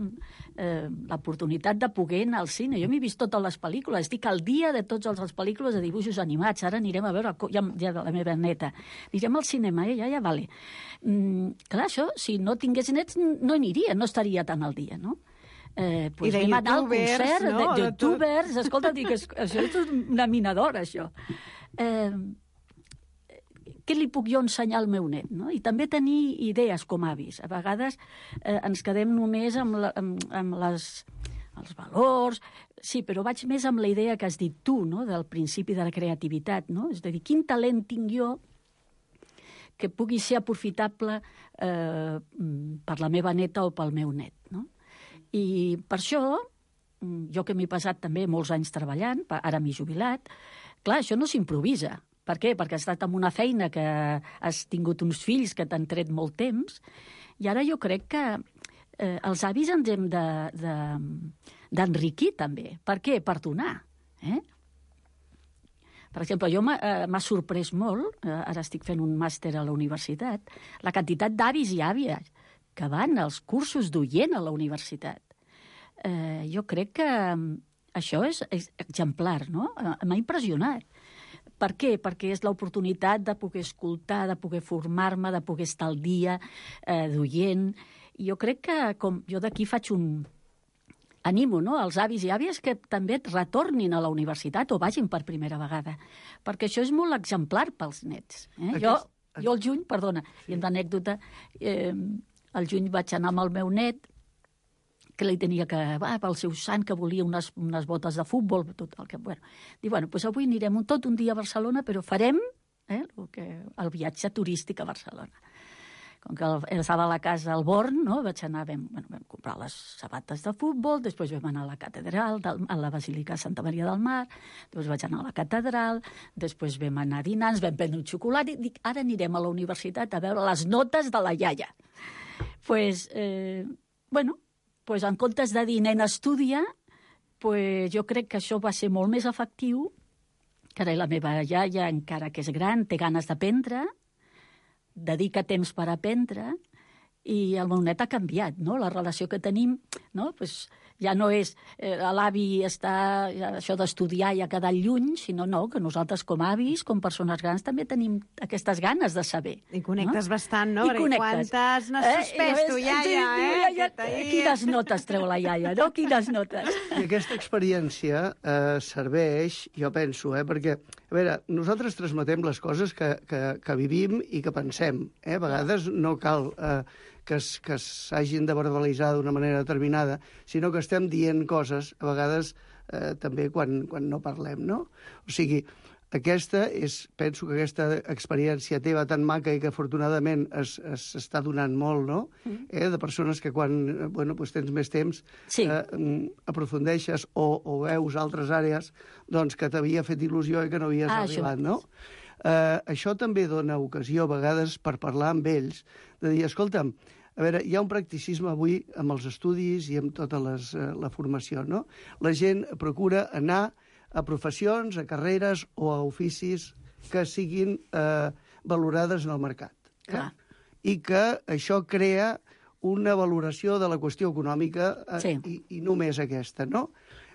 eh, l'oportunitat de poder anar al cine. Jo m'he vist totes les pel·lícules. Estic al dia de totes les pel·lícules de dibuixos animats. Ara anirem a veure ja, ja la meva neta. Anirem al cinema, eh? Ja, ja, vale. Mm, clar, això, si no tingués nets, no aniria, no estaria tan al dia, no? Eh, pues
I de
vam anar al
youtubers,
concert
no?
de,
De
youtubers, escolta, dic, això és una minadora, això. Eh, què li puc jo ensenyar al meu net? No? I també tenir idees com avis. A vegades eh, ens quedem només amb, la, amb, amb les, els valors, sí, però vaig més amb la idea que has dit tu, no? Del principi de la creativitat, no? És a dir, quin talent tinc jo que pugui ser aprofitable eh, per la meva neta o pel meu net, no? I per això, jo que m'he passat també molts anys treballant, ara m'he jubilat, clar, això no s'improvisa. Per què? Perquè has estat en una feina que has tingut uns fills que t'han tret molt temps, i ara jo crec que eh, els avis ens hem de, de, d'enriquir també. Per què? Per donar. Eh? Per exemple, jo m'ha eh, sorprès molt, eh, ara estic fent un màster a la universitat, la quantitat d'avis i àvies que van als cursos d'oient a la universitat. Eh, jo crec que això és, és exemplar, no? M'ha impressionat. Per què? Perquè és l'oportunitat de poder escoltar, de poder formar-me, de poder estar al dia, eh, d'oient. I jo crec que, com jo d'aquí faig un... Animo, no?, als avis i àvies que també retornin a la universitat o vagin per primera vegada, perquè això és molt exemplar pels nets. Eh? Jo, jo al juny, perdona, i en l'anècdota, eh, al juny vaig anar amb el meu net, que li tenia que, va, pel seu sant, que volia unes, unes botes de futbol, tot el que... Bueno, dic, bueno, doncs avui anirem un, tot un dia a Barcelona, però farem eh, el, que, el viatge turístic a Barcelona. Com que el, estava a la casa al Born, no? Vaig anar, vam, bueno, vam comprar les sabates de futbol, després vam anar a la catedral, del, a la Basílica de Santa Maria del Mar, després vaig anar a la catedral, després vam anar a dinar, ens vam prendre un xocolat, i dic, ara anirem a la universitat a veure les notes de la iaia. Pues, eh, bueno, pues en comptes de dir nen estudia, pues jo crec que això va ser molt més efectiu, que ara la meva iaia, encara que és gran, té ganes d'aprendre, dedica temps per aprendre, i el meu net ha canviat, no? La relació que tenim, no? Pues ja no és eh, l'avi està, ja, això d'estudiar i ha quedat lluny, sinó no, que nosaltres com avis, com persones grans, també tenim aquestes ganes de saber.
I connectes
no? bastant,
no? I Perquè connectes. Quantes n'has eh, suspès, tu, iaia, eh? Ja,
ja, quines notes treu la iaia, no? Quines notes.
I aquesta experiència eh, serveix, jo penso, eh, perquè, a veure, nosaltres transmetem les coses que, que, que vivim i que pensem. Eh? A vegades no cal... Eh, que s'hagin de verbalitzar d'una manera determinada, sinó que estem dient coses, a vegades, eh, també quan, quan no parlem, no? O sigui, aquesta és, penso que aquesta experiència teva tan maca i que afortunadament s'està donant molt, no? Mm. Eh, de persones que quan bueno, pues tens més temps
sí.
eh, aprofundeixes o, o veus altres àrees doncs, que t'havia fet il·lusió i que no havies
ah,
arribat, no? Eh, això també dona ocasió a vegades per parlar amb ells, de dir, escolta'm, a veure, hi ha un practicisme avui amb els estudis i amb tota les, eh, la formació, no? La gent procura anar a professions, a carreres o a oficis que siguin eh, valorades en el mercat. Eh? I que això crea una valoració de la qüestió econòmica eh,
sí.
i, i només aquesta, no?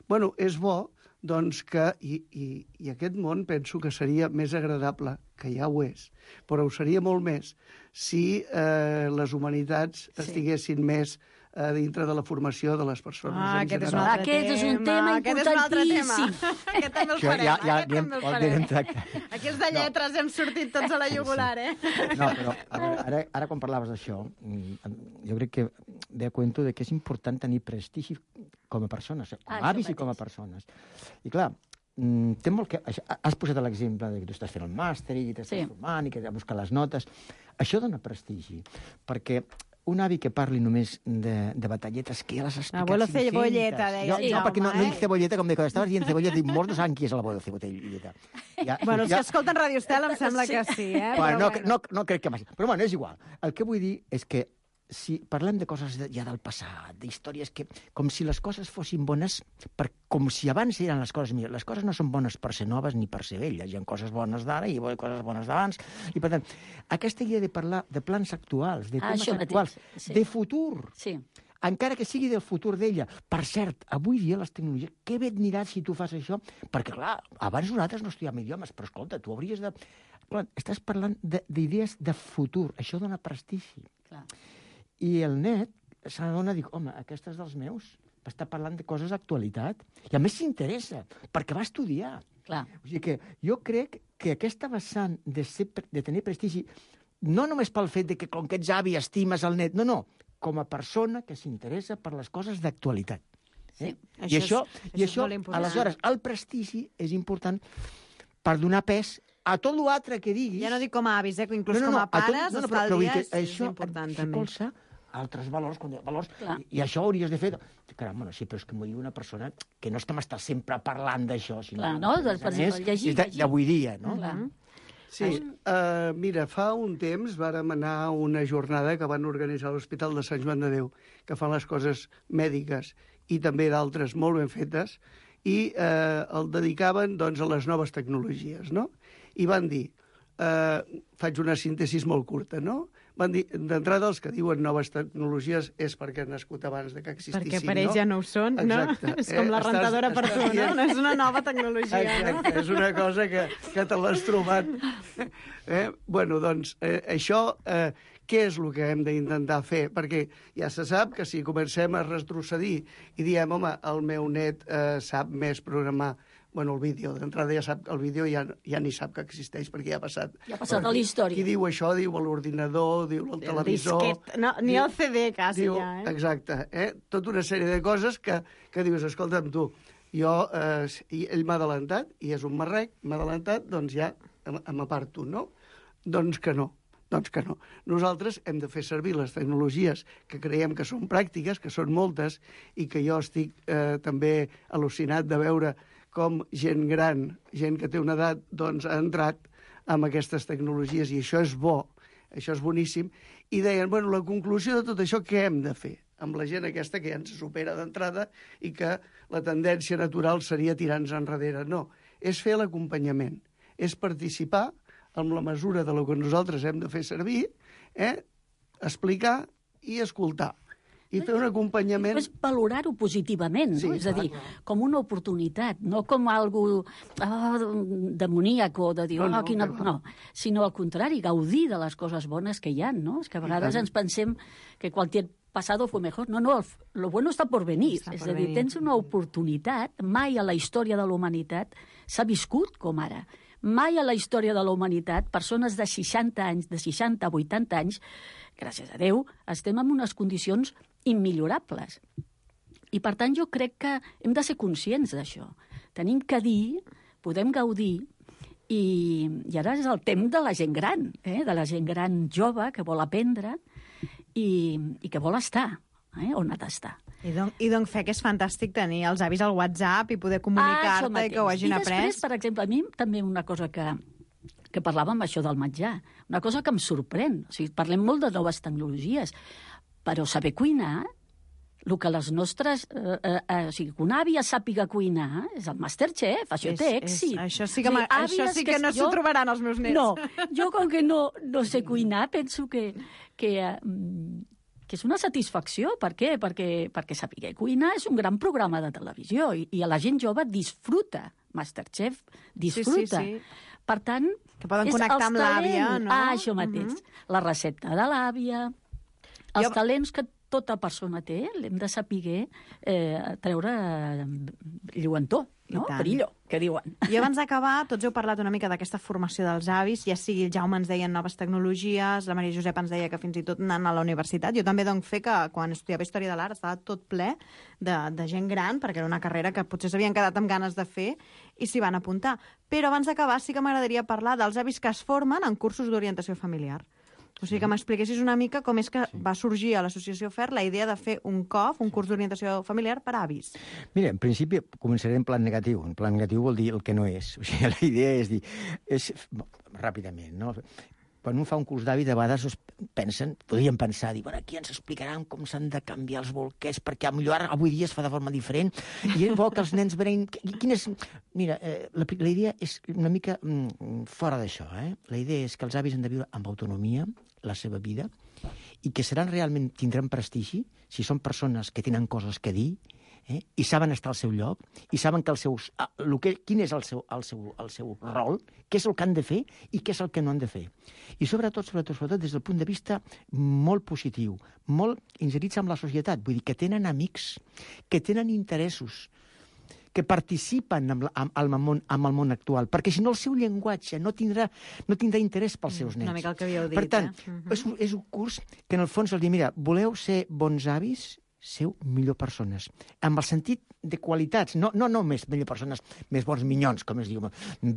Bueno, és bo, doncs, que... I, i, I aquest món penso que seria més agradable, que ja ho és, però ho seria molt més si eh, les humanitats sí. estiguessin més a dintre de la formació de les persones.
Ah, aquest és,
aquest és un tema importantíssim.
Aquest també el farem.
Ja, ja,
aquest
ja,
també el
farem.
farem. Aquí els de lletres no. hem sortit tots a la jugular, eh?
No, però a veure, ara, ara quan parlaves d'això, jo crec que ve a cuento de que és important tenir prestigi com a persones, com a avis i com a persones. I clar, té molt que... Has posat l'exemple de que tu estàs fent el màster i t'estàs sí. formant i que has buscat les notes. Això dona prestigi, perquè un avi que parli només de, de batalletes que ja les has explicat
Abuelo
cinc-centes.
cebolleta, deia.
Jo, no, perquè no, no dic cebolleta, com de quan estaves dient cebolleta, dic, molts no saben qui és l'abuelo cebolleta.
Ja, bueno, els ja... que escolten Radio Estel em sembla sí. que sí, eh?
Bueno, no, bueno. No, no crec que... Però bueno, és igual. El que vull dir és que si parlem de coses de, ja del passat, d'històries que... Com si les coses fossin bones, per, com si abans eren les coses millors. Les coses no són bones per ser noves ni per ser velles. Hi ha coses bones d'ara i coses bones d'abans. I per tant, aquesta idea de parlar de plans actuals, de temes
ah,
actuals, sí. de futur,
sí.
encara que sigui del futur d'ella. Per cert, avui dia les tecnologies, què bé et aniràs si tu fas això? Perquè, clar, abans nosaltres no estudiàvem idiomes, però escolta, tu hauries de... Clar, estàs parlant d'idees de, de futur. Això dona prestigi. Clar. I el net s'adona, dic, home, aquesta és dels meus, està parlant de coses d'actualitat. I a més s'interessa, perquè va estudiar.
Clar.
O sigui que jo crec que aquesta vessant de, ser, de tenir prestigi, no només pel fet de que com que ets avi estimes el net, no, no, com a persona que s'interessa per les coses d'actualitat. Eh?
Sí,
I això,
és,
i això, això aleshores, el prestigi és important per donar pes a tot l'altre que diguis...
Ja no dic com a avis, eh? Inclús
no, no, no,
com a pares,
tot, no, no,
estar al dia és,
això
és important també.
Això altres valors, valors i, i això hauries de fer... Caram, bueno, sí, però és que m'ho diu una persona que no estem estar sempre parlant d'això, sinó...
Clar, no? Doncs, per exemple, llegir,
llegir. D'avui dia, no?
Clar.
Sí, uh, mira, fa un temps vàrem anar a una jornada que van organitzar a l'Hospital de Sant Joan de Déu, que fan les coses mèdiques i també d'altres molt ben fetes, i eh, el dedicaven doncs, a les noves tecnologies, no? I van dir, eh, faig una síntesi molt curta, no? Van dir, d'entrada, els que diuen noves tecnologies és perquè han nascut abans de que existissin,
perquè per ells
no?
ja no ho són,
Exacte.
no? És com la rentadora per tu, no? No és una nova tecnologia,
exacte,
no?
És una cosa que, que te l'has trobat. Eh? Bueno, doncs, eh, això, eh, què és el que hem d'intentar fer? Perquè ja se sap que si comencem a retrocedir i diem, home, el meu net eh, sap més programar, bueno, el vídeo, d'entrada ja sap que el vídeo ja, ja ni sap que existeix, perquè ja ha passat.
Ja ha passat a la història.
Qui diu això, diu l'ordinador, diu el, el televisor...
Disquet. No, ni diu, el C D, quasi,
diu,
ja, eh?
Exacte, eh? Tota una sèrie de coses que, que dius, escolta'm, tu, jo, eh, ell m'ha adelantat, i és un marrec, m'ha adelantat, doncs ja m'aparto, no? Doncs que no. Doncs que no. Nosaltres hem de fer servir les tecnologies que creiem que són pràctiques, que són moltes, i que jo estic eh, també al·lucinat de veure com gent gran, gent que té una edat, doncs ha entrat amb aquestes tecnologies, i això és bo, això és boníssim. I deien, bueno, la conclusió de tot això, què hem de fer amb la gent aquesta que ja ens supera d'entrada i que la tendència natural seria tirar-nos enrere? No, és fer l'acompanyament, és participar amb la mesura de lo que nosaltres hem de fer servir, eh? Explicar i escoltar. I fer un acompanyament...
És valorar-ho positivament, no?
Sí,
És a dir, com una oportunitat, no com algo ah, demoníac o de dir,
no, no,
oh, quina...
no.
no, sinó al contrari, gaudir de les coses bones que hi ha, no? És que a vegades ens pensem que qualsevol pasado fue mejor. No, no, el, lo bueno està por venir.
Està
és
por
a dir,
venir.
tens una oportunitat, mai a la història de la humanitat s'ha viscut com ara. Mai a la història de la humanitat, persones de seixanta anys, de seixanta a vuitanta anys, gràcies a Déu, estem en unes condicions immillorables. I, per tant, jo crec que hem de ser conscients d'això. Tenim que dir, podem gaudir, I, i ara és el temps de la gent gran, eh? de la gent gran jove que vol aprendre i, i que vol estar eh? on ha d'estar.
I donc, I donc fe que és fantàstic tenir els avis al WhatsApp i poder
Ah,
comunicar-te i que ho hagin
I després,
après.
per exemple, a mi també una cosa que, que parlàvem això del menjar, una cosa que em sorprèn. O sigui, parlem molt de noves tecnologies, però saber cuinar, el que les nostres... Eh, eh, eh, o sigui, que una àvia sàpiga cuinar és el Masterchef, això
És-
té
és-
èxit.
això sí que
O sigui,
m'ha- això
àvies
sí que no s'ho
jo-
trobaran els meus nets.
No, jo com que no, no sé cuinar, penso que, que, eh, que és una satisfacció. Per què? Perquè, perquè saber cuinar és un gran programa de televisió i, i a la gent jove disfruta. Masterchef disfruta.
Sí, sí, sí.
Per tant,
Que poden
és
connectar
els
amb l'àvia,
talents.
no?
Ah, això mateix. La recepta de l'àvia, els
Jo-
talents que tota persona té, l'hem de saber eh, treure eh, lluentor, no?
I tant.
Brillo, que diuen.
I abans d'acabar, tots heu parlat una mica d'aquesta formació dels avis, ja sigui el Jaume ens deia noves tecnologies, la Maria Josep ens deia que fins i tot anant a la universitat. Jo també doncs fer que quan estudiava Història de l'Art estava tot ple de, de gent gran, perquè era una carrera que potser s'havien quedat amb ganes de fer i s'hi van apuntar. Però abans d'acabar sí que m'agradaria parlar dels avis que es formen en cursos d'orientació familiar. O sigui, que m'expliquessis una mica com és que sí. va sorgir a l'Associació F E R la idea de fer un C O F, un curs d'orientació familiar per a avis.
Mira, en principi començaré en plan negatiu. En plan negatiu vol dir el que no és. O sigui, la idea és dir... És, ràpidament, no? Quan un fa un curs d'avi, de vegades es pensen, podríem pensar, dir, bueno, aquí ens explicaran com s'han de canviar els bolquers, perquè potser ara, avui dia es fa de forma diferent, i és bo que els nens veuen... Quin és... Mira, eh, la, la idea és una mica mm, fora d'això, eh? La idea és que els avis han de viure amb autonomia la seva vida i que seran realment, tindran prestigi si són persones que tenen coses que dir, eh? I saben estar al seu lloc, i saben que el seus, el que, quin és el seu, el, seu, el seu rol, què és el que han de fer i què és el que no han de fer. I sobretot, sobretot, sobretot, des del punt de vista molt positiu, molt inserits amb la societat, vull dir que tenen amics, que tenen interessos, que participen amb, la, amb, amb, el món, amb el món actual, perquè si no el seu llenguatge no tindrà, no tindrà interès pels seus nens.
Una mica el que havíeu dit,
per tant,
eh? Uh-huh.
és, un, és un curs que en el fons els diu, mira, voleu ser bons avis, seu millor persones, amb el sentit de qualitats, no, no només millor persones, més bons minyons, com es diu,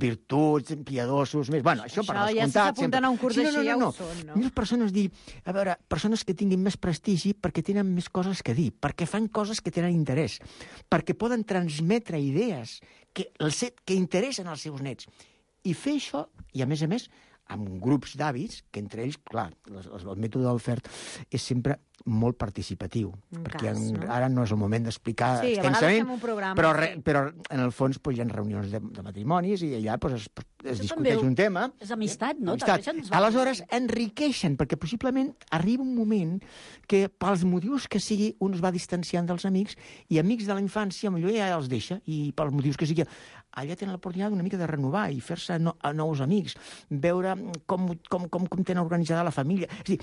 virtuts, piadosos, més... Bueno, això,
Això
per
ja
descomptat...
s'apunten a un curs
sí,
així,
no, no,
ja
no,
ho són, no?
Millors persones, dir, a veure, persones que tinguin més prestigi perquè tenen més coses que dir, perquè fan coses que tenen interès, perquè poden transmetre idees que, els, que interessen als seus nets. I fer això, i a més a més, amb grups d'hàbits, que entre ells, clar, el, el mètode del F E R és sempre molt participatiu,
Un
perquè
cas,
en,
no?
ara no és el moment d'explicar
Sí, a vegades
extensament,
fem un programa,
però, re,
sí.
però en el fons pues, hi ha reunions de, de matrimonis i allà pues, es, es
Això
discuteix
també
un tema.
és amistat, no?
Amistat.
També se'ns va-
Aleshores, enriqueixen, perquè possiblement arriba un moment que pels motius que sigui un es va distanciant dels amics i amics de la infància potser ja els deixa i pels motius que sigui allà tenen l'oportunitat una mica de renovar i fer-se no, a nous amics, veure com, com, com, com tenen organitzada la família. És a dir,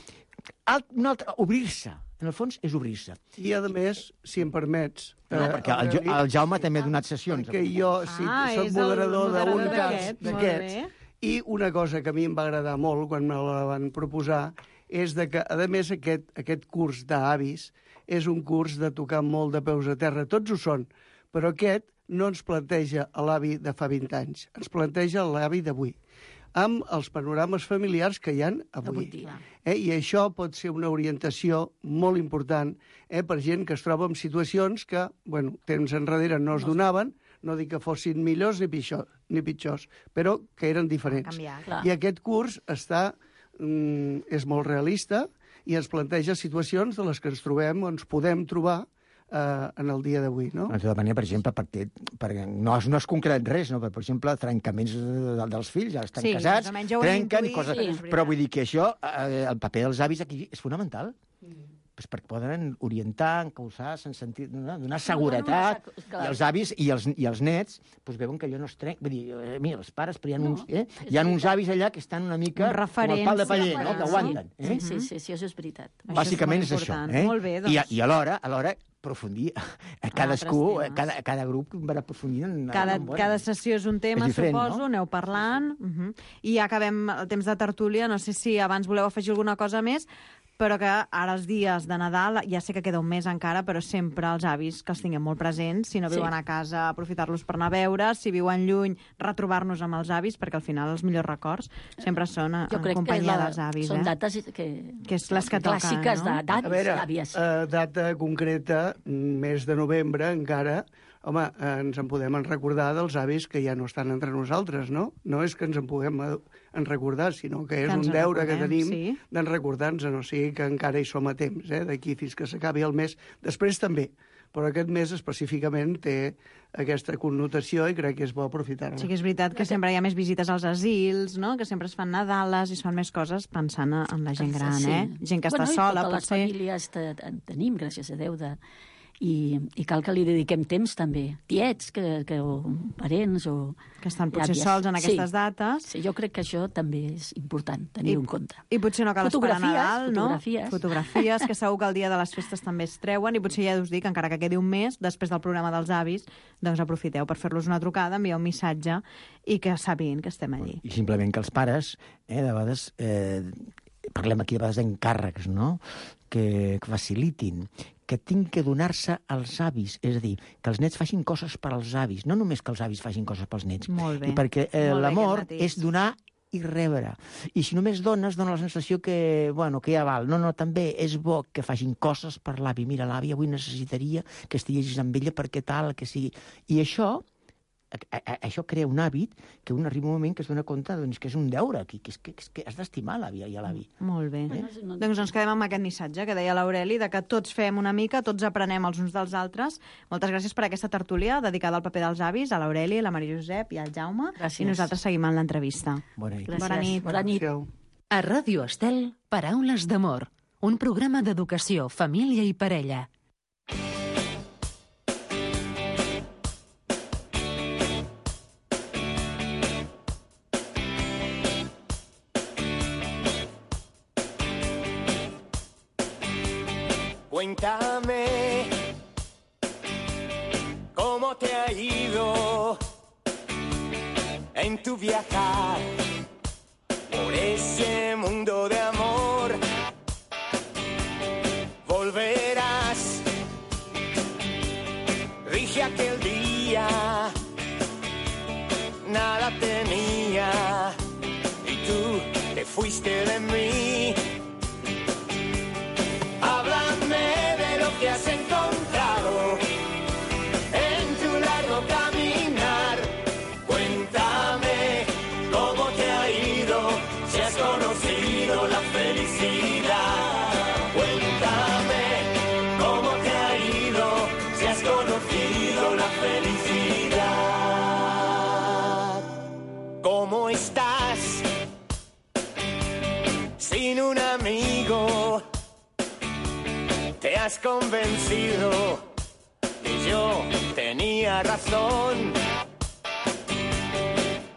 alt, un altre, obrir-se. En el fons és obrir-se.
I, a més, si em permets...
No,
eh,
perquè el, Jo- el Jaume també ha donat sessions.
Perquè jo sí,
Ah,
soc
és el
moderador d'un
moderador
cas
d'aquest, molt
d'aquests.
bé.
I una cosa que a mi em va agradar molt quan me la van proposar és de que, a més, aquest, aquest curs d'avis és un curs de tocar molt de peus a terra. Tots ho són, però aquest no ens planteja l'avi de fa vint anys, ens planteja l'avi d'avui, amb els panorames familiars que hi ha avui.
Avui dia.
Eh? I això pot ser una orientació molt important eh, per gent que es troba en situacions que, bueno, temps enrere no es donaven, no dic que fossin millors ni, pitjor, ni pitjors, però que eren diferents.
canviat.
Clar.
I aquest curs està, mm, és molt realista i ens planteja situacions de les que ens trobem o ens podem trobar eh, en el dia d'avui, no?
De tota manera, per exemple, perquè, perquè no, és, no és concret res, no? Per exemple, trencaments de, de, dels fills, ja estan
Sí,
casats,
més o menys ja ho hem
trenquen,
intuït,
coses...
sí, és veritat.
Però vull dir que això, eh, el paper dels avis aquí és fonamental. Mm. Pues perquè poden orientar, encausar, sense sentit, donar, donar seguretat,
no, no, clar.
i els avis i els, i els nets pues, veuen que allò no es trenca. Vull dir, eh, mira, els pares, però hi ha,
No,
uns, eh?
és
hi ha uns
veritat.
avis allà que estan una mica
Un
com el
referent,
pal de paller,
sí,
no? Que
sí.
aguanten. Eh?
Sí, sí, sí, sí, això és veritat.
Això
Bàsicament és,
és molt
això.
important.
Eh?
Molt bé, doncs.
I, I alhora, alhora aprofundir a cadascú,
altres
a
temes.
cada, a cada grup va aprofundir en...
Cada,
en,
cada sessió és un tema,
És diferent,
suposo,
no?
aneu parlant. Uh -huh. I ja acabem el temps de tertúlia. No sé si abans voleu afegir alguna cosa més, però que ara els dies de Nadal, ja sé que queda un mes encara, però sempre els avis que els tinguem molt presents, si no viuen
Sí.
a casa, aprofitar-los per anar a veure, si viuen lluny, retrobar-nos amb els avis, perquè al final els millors records sempre són en
Jo crec que
companyia
la,
dels avis.
són
eh?
dates que,
Que és les que toquen,
clàssiques
no?
de- d'avis,
A veure,
àvies.
eh, data concreta, mes de novembre encara, home, eh, ens en podem en recordar dels avis que ja no estan entre nosaltres, no? No és que ens en puguem eh, en recordar, sinó que és
Que ens
un
en
deure que
recordem,
tenim
sí.
d'en recordar-nos, o sigui que encara hi som a temps, eh, d'aquí fins que s'acabi el mes. Després també, però aquest mes específicament té aquesta connotació i crec que és bo aprofitar-la.
Sí que és veritat que sempre hi ha més visites als asils, no? Que sempre es fan Nadales i es fan més coses pensant en la gent gran,
Sí.
eh? Gent que
bueno,
està
i
sola,
totes
potser.
les famílies te, en tenim, gràcies a Déu, de, i, i cal que li dediquem temps també. Tiets, que, que, o parents, o...
Que estan potser
àvies.
sols en aquestes
sí.
dates.
Sí, jo crec que això també és important, tenir-ho en compte.
I potser no cal esperar
Fotografies,
Nadal, no?
fotografies.
Fotografies, que segur que el dia de les festes també es treuen, i potser ja us dic, encara que quedi un mes, després del programa dels avis, doncs aprofiteu per fer-los una trucada, enviar un missatge i que sàpiguen que estem allí.
I simplement que els pares, eh, de vegades, eh, parlem aquí de vegades d'encàrrecs, no?, que, que facilitin, que tinc que donar-se als avis, és a dir, que els nets facin coses per als avis, no només que els avis facin coses pels nets.
Molt bé.
I perquè eh,
Molt bé,
l'amor
aquest matís.
és donar i rebre. I si només dones, dona la sensació que, bueno, que ja val. No, no, també és bo que facin coses per l'avi. Mira, l'avi avui necessitaria que estiguessis amb ella perquè tal, que sigui... I això, a, a, això crea un hàbit que un arriba un moment que es dona compte doncs, que és un deure, que, que, que, que has d'estimar l'avi i a l'avi.
Molt bé.
Eh?
Doncs ens quedem amb aquest missatge que deia l'Aureli, de que tots fem una mica, tots aprenem els uns dels altres. Moltes gràcies per aquesta tertúlia dedicada al paper dels avis, a l'Aureli, la Maria Josep i al Jaume.
Gràcies.
I nosaltres seguim amb l'entrevista.
Bona nit.
Gràcies.
Bona nit.
Bona nit.
Adéu.
A Ràdio Estel, Paraules d'amor, un programa d'educació, família i parella.
Cuéntame cómo te ha ido en tu viajar por ese mundo de amor. Volverás, dije aquel día, nada tenía y tú te fuiste de mí. Háblame de lo que has encontrado en tu largo caminar. Cuéntame cómo te ha ido, si has conocido la felicidad. Cuéntame cómo te ha ido, si has conocido la felicidad. ¿Cómo estás sin un amigo? Te has convencido que yo tenía razón.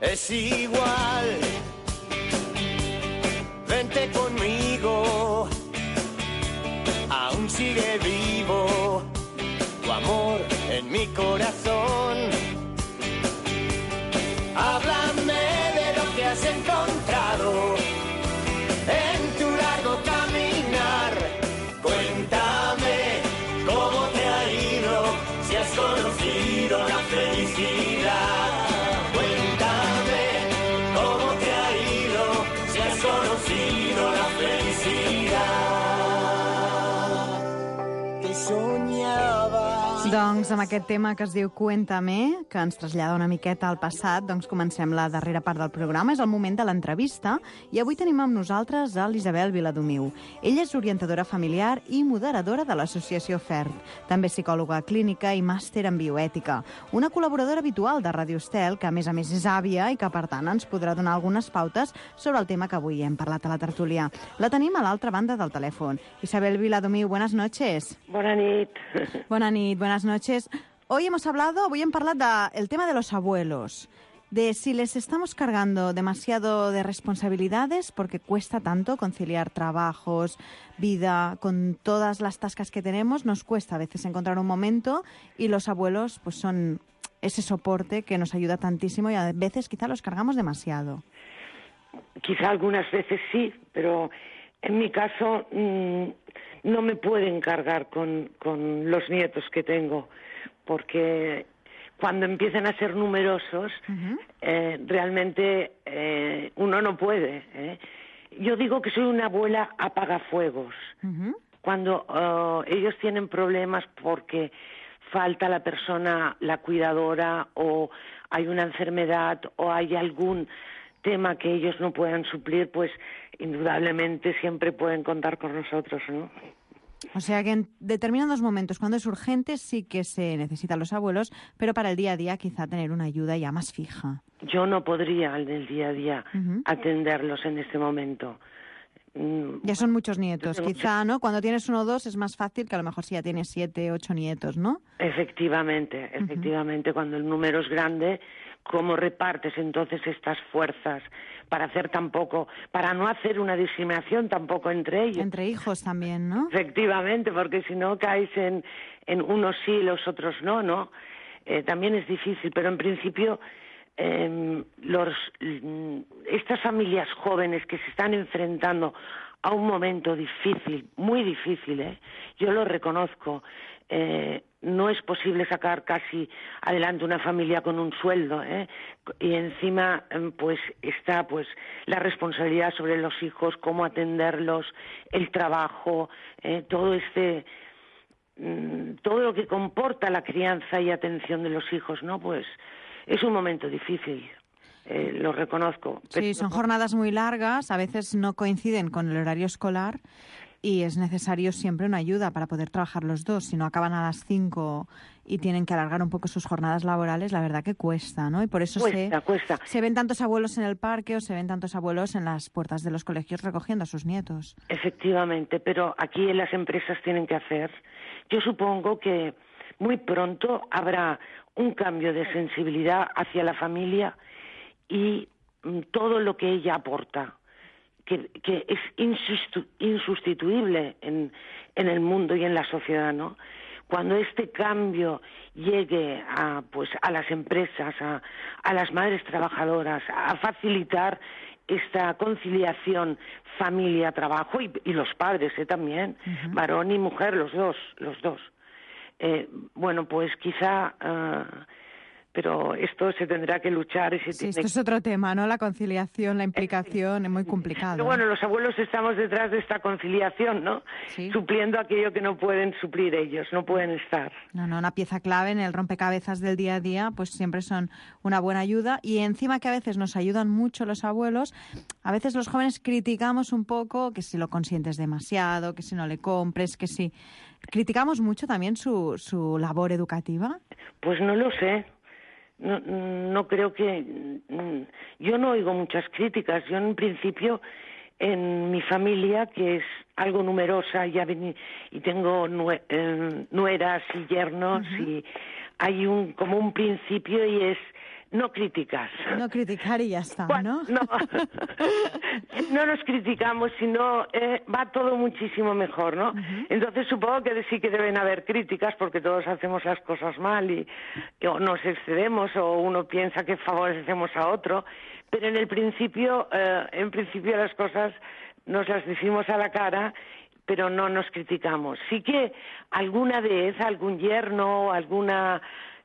Es igual, vente conmigo, aún sigue vivo tu amor en mi corazón. Háblame de lo que has encontrado en tu largo caminar. Cuéntame cómo te ha ido, si has conocido la felicidad. Cuéntame cómo te ha ido, si has conocido la felicidad. Te soñaba.
Doncs amb aquest tema que es diu Cuéntame, que ens trasllada una miqueta al passat, doncs comencem la darrera part del programa. És el moment de l'entrevista i avui tenim amb nosaltres a l'Isabel Viladomiu. Ella és orientadora familiar i moderadora de l'associació FERT, també psicòloga clínica i màster en bioètica. Una col·laboradora habitual de Radio Estel, que a més a més és àvia i que per tant ens podrà donar algunes pautes sobre el tema que avui hem parlat a la tertúlia. La tenim a l'altra banda del telèfon. Isabel Viladomiu, buenas noches.
Bona nit.
Buena nit, buenas noches. Hoy hemos hablado, hoy en hablar del tema de los abuelos, de si les estamos cargando demasiado de responsabilidades porque cuesta tanto conciliar trabajos, vida, con todas las tascas que tenemos, nos cuesta a veces encontrar un momento y los abuelos pues son ese soporte que nos ayuda tantísimo y a veces quizá los cargamos demasiado.
Quizá algunas veces sí, pero En mi caso, mmm, no me pueden cargar con, con los nietos que tengo, porque cuando empiezan a ser numerosos, uh-huh. eh, realmente eh, uno no puede. ¿eh? Yo digo que soy una abuela apagafuegos. Uh-huh. Cuando uh, ellos tienen problemas porque falta la persona, la cuidadora, o hay una enfermedad, o hay algún tema que ellos no puedan suplir, pues indudablemente siempre pueden contar con nosotros, ¿no?
O sea que en determinados momentos, cuando es urgente, sí que se necesitan los abuelos, pero para el día a día quizá tener una ayuda ya más fija.
Yo no podría en el día a día uh-huh. atenderlos en este momento.
Ya son muchos nietos, quizá, ¿no? Cuando tienes uno o dos es más fácil que a lo mejor si ya tienes siete, ocho nietos, ¿no?
Efectivamente, efectivamente. Uh-huh. Cuando el número es grande, ¿cómo repartes entonces estas fuerzas para hacer tampoco, para no hacer una discriminación tampoco entre ellos?
Entre hijos también, ¿no?
Efectivamente, porque si no caes en, en unos sí y los otros no, ¿no? Eh, también es difícil, pero en principio eh, los, estas familias jóvenes que se están enfrentando a un momento difícil, muy difícil, ¿eh? Yo lo reconozco. Eh, no es posible sacar casi adelante una familia con un sueldo, ¿eh? Y encima pues está pues la responsabilidad sobre los hijos, cómo atenderlos, el trabajo, ¿eh? todo este mmm, todo lo que comporta la crianza y atención de los hijos, ¿no? Pues es un momento difícil. Eh, lo reconozco.
Sí, son jornadas muy largas, a veces no coinciden con el horario escolar y es necesario siempre una ayuda para poder trabajar los dos. Si no acaban a las cinco y tienen que alargar un poco sus jornadas laborales, la verdad que cuesta, ¿no? Y por eso
cuesta,
se,
cuesta.
se ven tantos abuelos en el parque o se ven tantos abuelos en las puertas de los colegios recogiendo a sus nietos.
Efectivamente, pero aquí las empresas tienen que hacer. Yo supongo que muy pronto habrá un cambio de sensibilidad hacia la familia y mm, todo lo que ella aporta, que, que es insustitu- insustituible en, en el mundo y en la sociedad, ¿no? Cuando este cambio llegue a, pues, a las empresas, a, a las madres trabajadoras, a facilitar esta conciliación familia-trabajo y, y los padres ¿eh? también, uh-huh. varón y mujer, los dos, los dos. Eh, bueno, pues quizá... Uh, pero esto se tendrá que luchar. Y se
sí,
tiene...
esto es otro tema, ¿no? La conciliación, la implicación, es muy complicado.
Pero bueno, los abuelos estamos detrás de esta conciliación, ¿no?
Sí.
Supliendo aquello que no pueden suplir ellos, no pueden estar.
No, no, una pieza clave en el rompecabezas del día a día, pues siempre son una buena ayuda. Y encima que a veces nos ayudan mucho los abuelos, a veces los jóvenes criticamos un poco que si lo consientes demasiado, que si no le compres, que si... ¿Criticamos mucho también su, su labor educativa?
Pues no lo sé. No, no creo que... Yo no oigo muchas críticas. Yo en principio, en mi familia, que es algo numerosa, ya vení, y tengo nue, eh, nueras y yernos, uh-huh. y hay un como un principio y es no criticas.
No criticar y ya está,
bueno, ¿no? No, no nos criticamos, sino eh, va todo muchísimo mejor, ¿no? Uh-huh. Entonces supongo que sí que deben haber críticas porque todos hacemos las cosas mal y, y o nos excedemos o uno piensa que favorecemos a otro, pero en el principio, eh, en principio las cosas nos las decimos a la cara, pero no nos criticamos. Sí que alguna vez algún yerno, alguna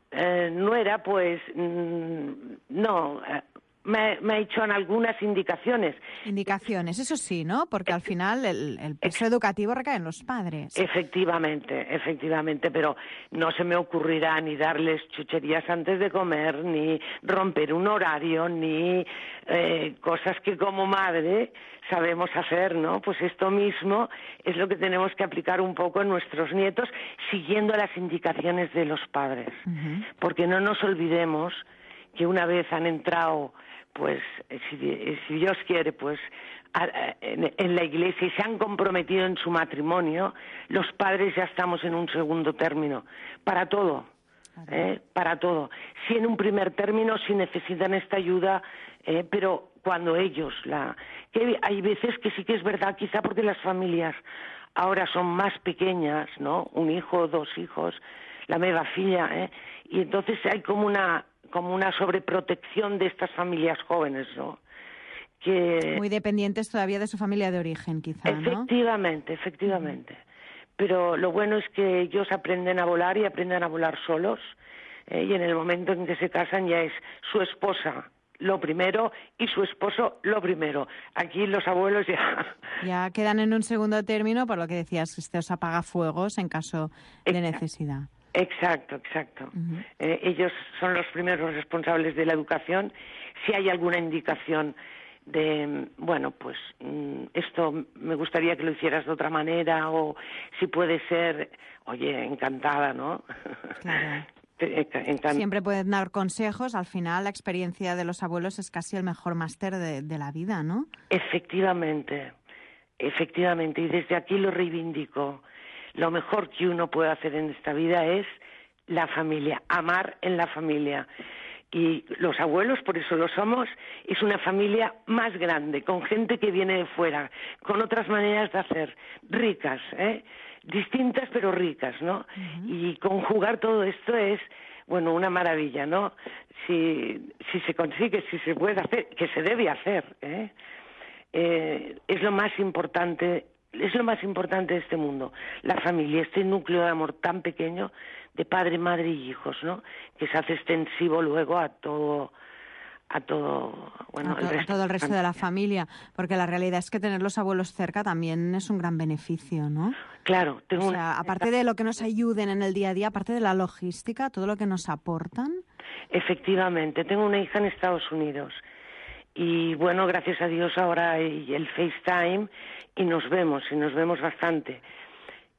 Eh, nuera, pues mmm, no, eh, me, me ha hecho algunas indicaciones.
Indicaciones, eso sí, ¿no? Porque al final el, el peso educativo recae en los padres.
Efectivamente, efectivamente, pero no se me ocurrirá ni darles chucherías antes de comer, ni romper un horario, ni eh, cosas que como madre sabemos hacer, ¿no? Pues esto mismo es lo que tenemos que aplicar un poco en nuestros nietos, siguiendo las indicaciones de los padres. Uh-huh. Porque no nos olvidemos que una vez han entrado, pues, si, si Dios quiere, pues, a, a, en, en la iglesia y se han comprometido en su matrimonio, los padres ya estamos en un segundo término, para todo. ¿Eh? Para todo. Si en un primer término, si necesitan esta ayuda, eh, pero cuando ellos, la que hay veces que sí que es verdad, quizá porque las familias ahora son más pequeñas, ¿no? Un hijo, dos hijos, la meva filla, ¿eh? Y entonces hay como una como una sobreprotección de estas familias jóvenes, ¿no? que...
Muy dependientes todavía de su familia de origen, quizá, ¿no?
Efectivamente, efectivamente. Pero lo bueno es que ellos aprenden a volar y aprenden a volar solos, eh, y en el momento en que se casan ya es su esposa lo primero y su esposo lo primero. Aquí los abuelos ya...
Ya quedan en un segundo término, por lo que decías, estos apagafuegos en caso de necesidad.
Exacto, exacto.
Uh-huh.
Eh, ellos son los primeros responsables de la educación. Si hay alguna indicación de, bueno, pues esto me gustaría que lo hicieras de otra manera, o si puede ser, oye, encantada, ¿no?
Claro.
Encant-
Siempre pueden dar consejos. Al final, la experiencia de los abuelos es casi el mejor máster de, de la vida, ¿no?
Efectivamente, efectivamente. Y desde aquí lo reivindico. Lo mejor que uno puede hacer en esta vida es la familia, amar en la familia. Y los abuelos, por eso lo somos, es una familia más grande, con gente que viene de fuera, con otras maneras de hacer, ricas, ¿eh? Distintas pero ricas, ¿no? Uh-huh. Y conjugar todo esto es, bueno, una maravilla, ¿no? Si, si se consigue, si se puede hacer, que se debe hacer, ¿eh? Eh, es lo más importante, es lo más importante de este mundo, la familia, este núcleo de amor tan pequeño de padre, madre y hijos, ¿no? Que se hace extensivo luego a todo, a todo, bueno,
a, to-
el resto,
a todo el resto de la familia, porque la realidad es que tener los abuelos cerca también es un gran beneficio, ¿no?
Claro, tengo
o sea,
una...
aparte de lo que nos ayuden en el día a día, aparte de la logística, todo lo que nos aportan.
Efectivamente, tengo una hija en Estados Unidos y bueno, gracias a Dios ahora hay el FaceTime y nos vemos, y nos vemos bastante.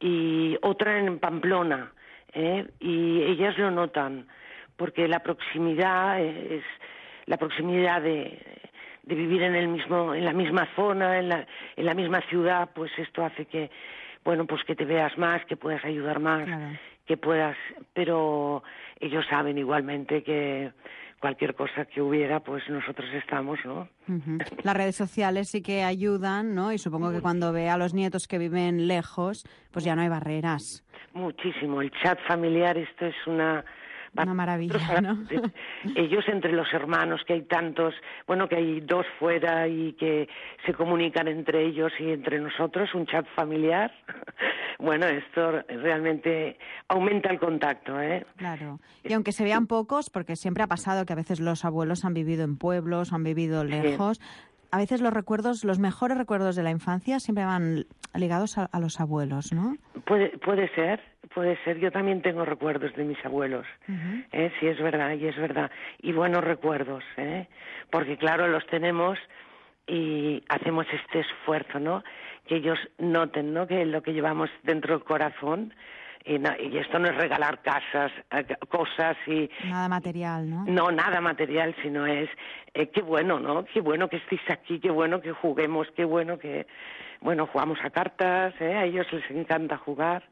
Y otra en Pamplona, ¿eh? Y ellas lo notan, porque la proximidad es la proximidad de, de vivir en el mismo, en la misma zona, en la, en la misma ciudad, pues esto hace que, bueno, pues que te veas más, que puedas ayudar más, claro. que puedas, pero ellos saben igualmente que cualquier cosa que hubiera, pues nosotros estamos, ¿no?
Uh-huh. Las redes sociales sí que ayudan, ¿no? Y supongo que cuando ve a los nietos que viven lejos, pues ya no hay barreras.
Muchísimo. El chat familiar, esto es una...
Una maravilla, ¿no?
Ellos entre los hermanos, que hay tantos, bueno, que hay dos fuera y que se comunican entre ellos y entre nosotros, un chat familiar. Bueno, esto realmente aumenta el contacto, ¿eh?
Claro. Y aunque se vean pocos, porque siempre ha pasado que a veces los abuelos han vivido en pueblos, han vivido lejos, sí. A veces los recuerdos, los mejores recuerdos de la infancia siempre van ligados a, a los abuelos, ¿no?
Puede, puede ser, puede ser. Yo también tengo recuerdos de mis abuelos, uh-huh. ¿eh? Sí, es verdad, y es verdad. Y buenos recuerdos, ¿eh? Porque claro, los tenemos y hacemos este esfuerzo, ¿no? Que ellos noten, ¿no? Que lo que llevamos dentro del corazón. Y, no, y esto no es regalar casas, cosas y...
Nada material, ¿no?
No, nada material, sino es... Eh, qué bueno, ¿no? Qué bueno que estéis aquí, qué bueno que juguemos, qué bueno que... Bueno, jugamos a cartas, ¿eh? A ellos les encanta jugar.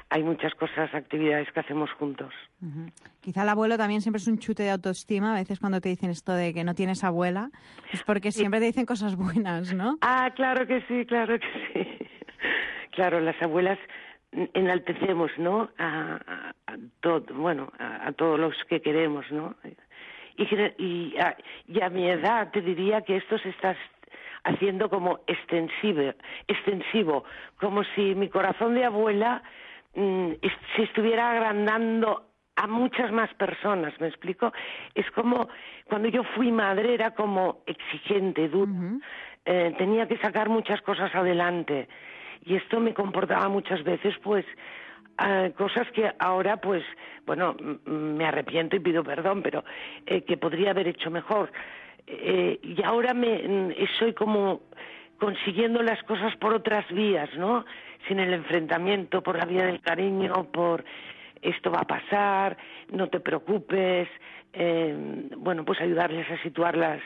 Hay muchas cosas, actividades que hacemos juntos.
Uh-huh. Quizá el abuelo también siempre es un chute de autoestima. A veces cuando te dicen esto de que no tienes abuela, es porque siempre te dicen cosas buenas, ¿no?
Ah, claro que sí, claro que sí. Claro, las abuelas... enaltecemos, ¿no? A, a, a todo, bueno, a, a todos los que queremos, ¿no? Y, y, a, y a mi edad te diría que esto se está haciendo como extensivo, extensivo, como si mi corazón de abuela mmm, se estuviera agrandando a muchas más personas, ¿me explico? Es como cuando yo fui madre era como exigente, dura, uh-huh. eh, tenía que sacar muchas cosas adelante. Y esto me comportaba muchas veces, pues, uh, cosas que ahora, pues, bueno, m- me arrepiento y pido perdón, pero eh, que podría haber hecho mejor. Eh, y ahora me soy como consiguiendo las cosas por otras vías, ¿no? Sin el enfrentamiento, por la vía del cariño, por esto va a pasar, no te preocupes, eh, bueno, pues ayudarles a situarlas,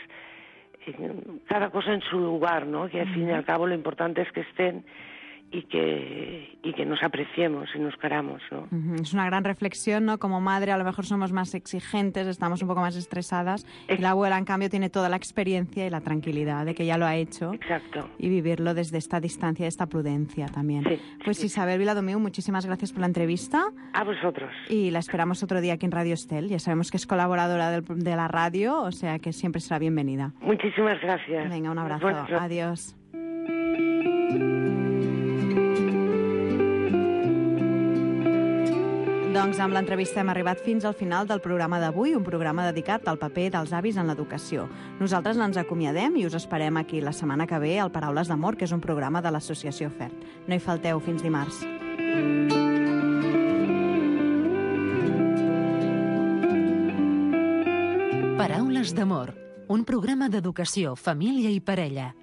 eh, cada cosa en su lugar, ¿no? Que al fin y al cabo lo importante es que estén y que, y que nos apreciemos y nos queramos, ¿no?
Uh-huh. Es una gran reflexión, ¿no? Como madre a lo mejor somos más exigentes, estamos un poco más estresadas, y la abuela en cambio tiene toda la experiencia y la tranquilidad de que ya lo ha hecho.
Exacto.
Y vivirlo desde esta distancia, esta prudencia también.
Sí,
pues
sí.
Isabel Viladomiu, muchísimas gracias por la entrevista.
A vosotros.
Y la esperamos otro día aquí en Radio Estel. Ya sabemos que es colaboradora del, de la radio, o sea que siempre será bienvenida.
Muchísimas gracias.
Venga, un abrazo.
Bueno,
Adiós. Doncs amb l'entrevista hem arribat fins al final del programa d'avui, un programa dedicat al paper dels avis en l'educació. Nosaltres ens acomiadem i us esperem aquí la setmana que ve al Paraules d'Amor, que és un programa de l'Associació FERT. No hi falteu, fins dimarts.
Paraules d'Amor, un programa d'educació, família i parella.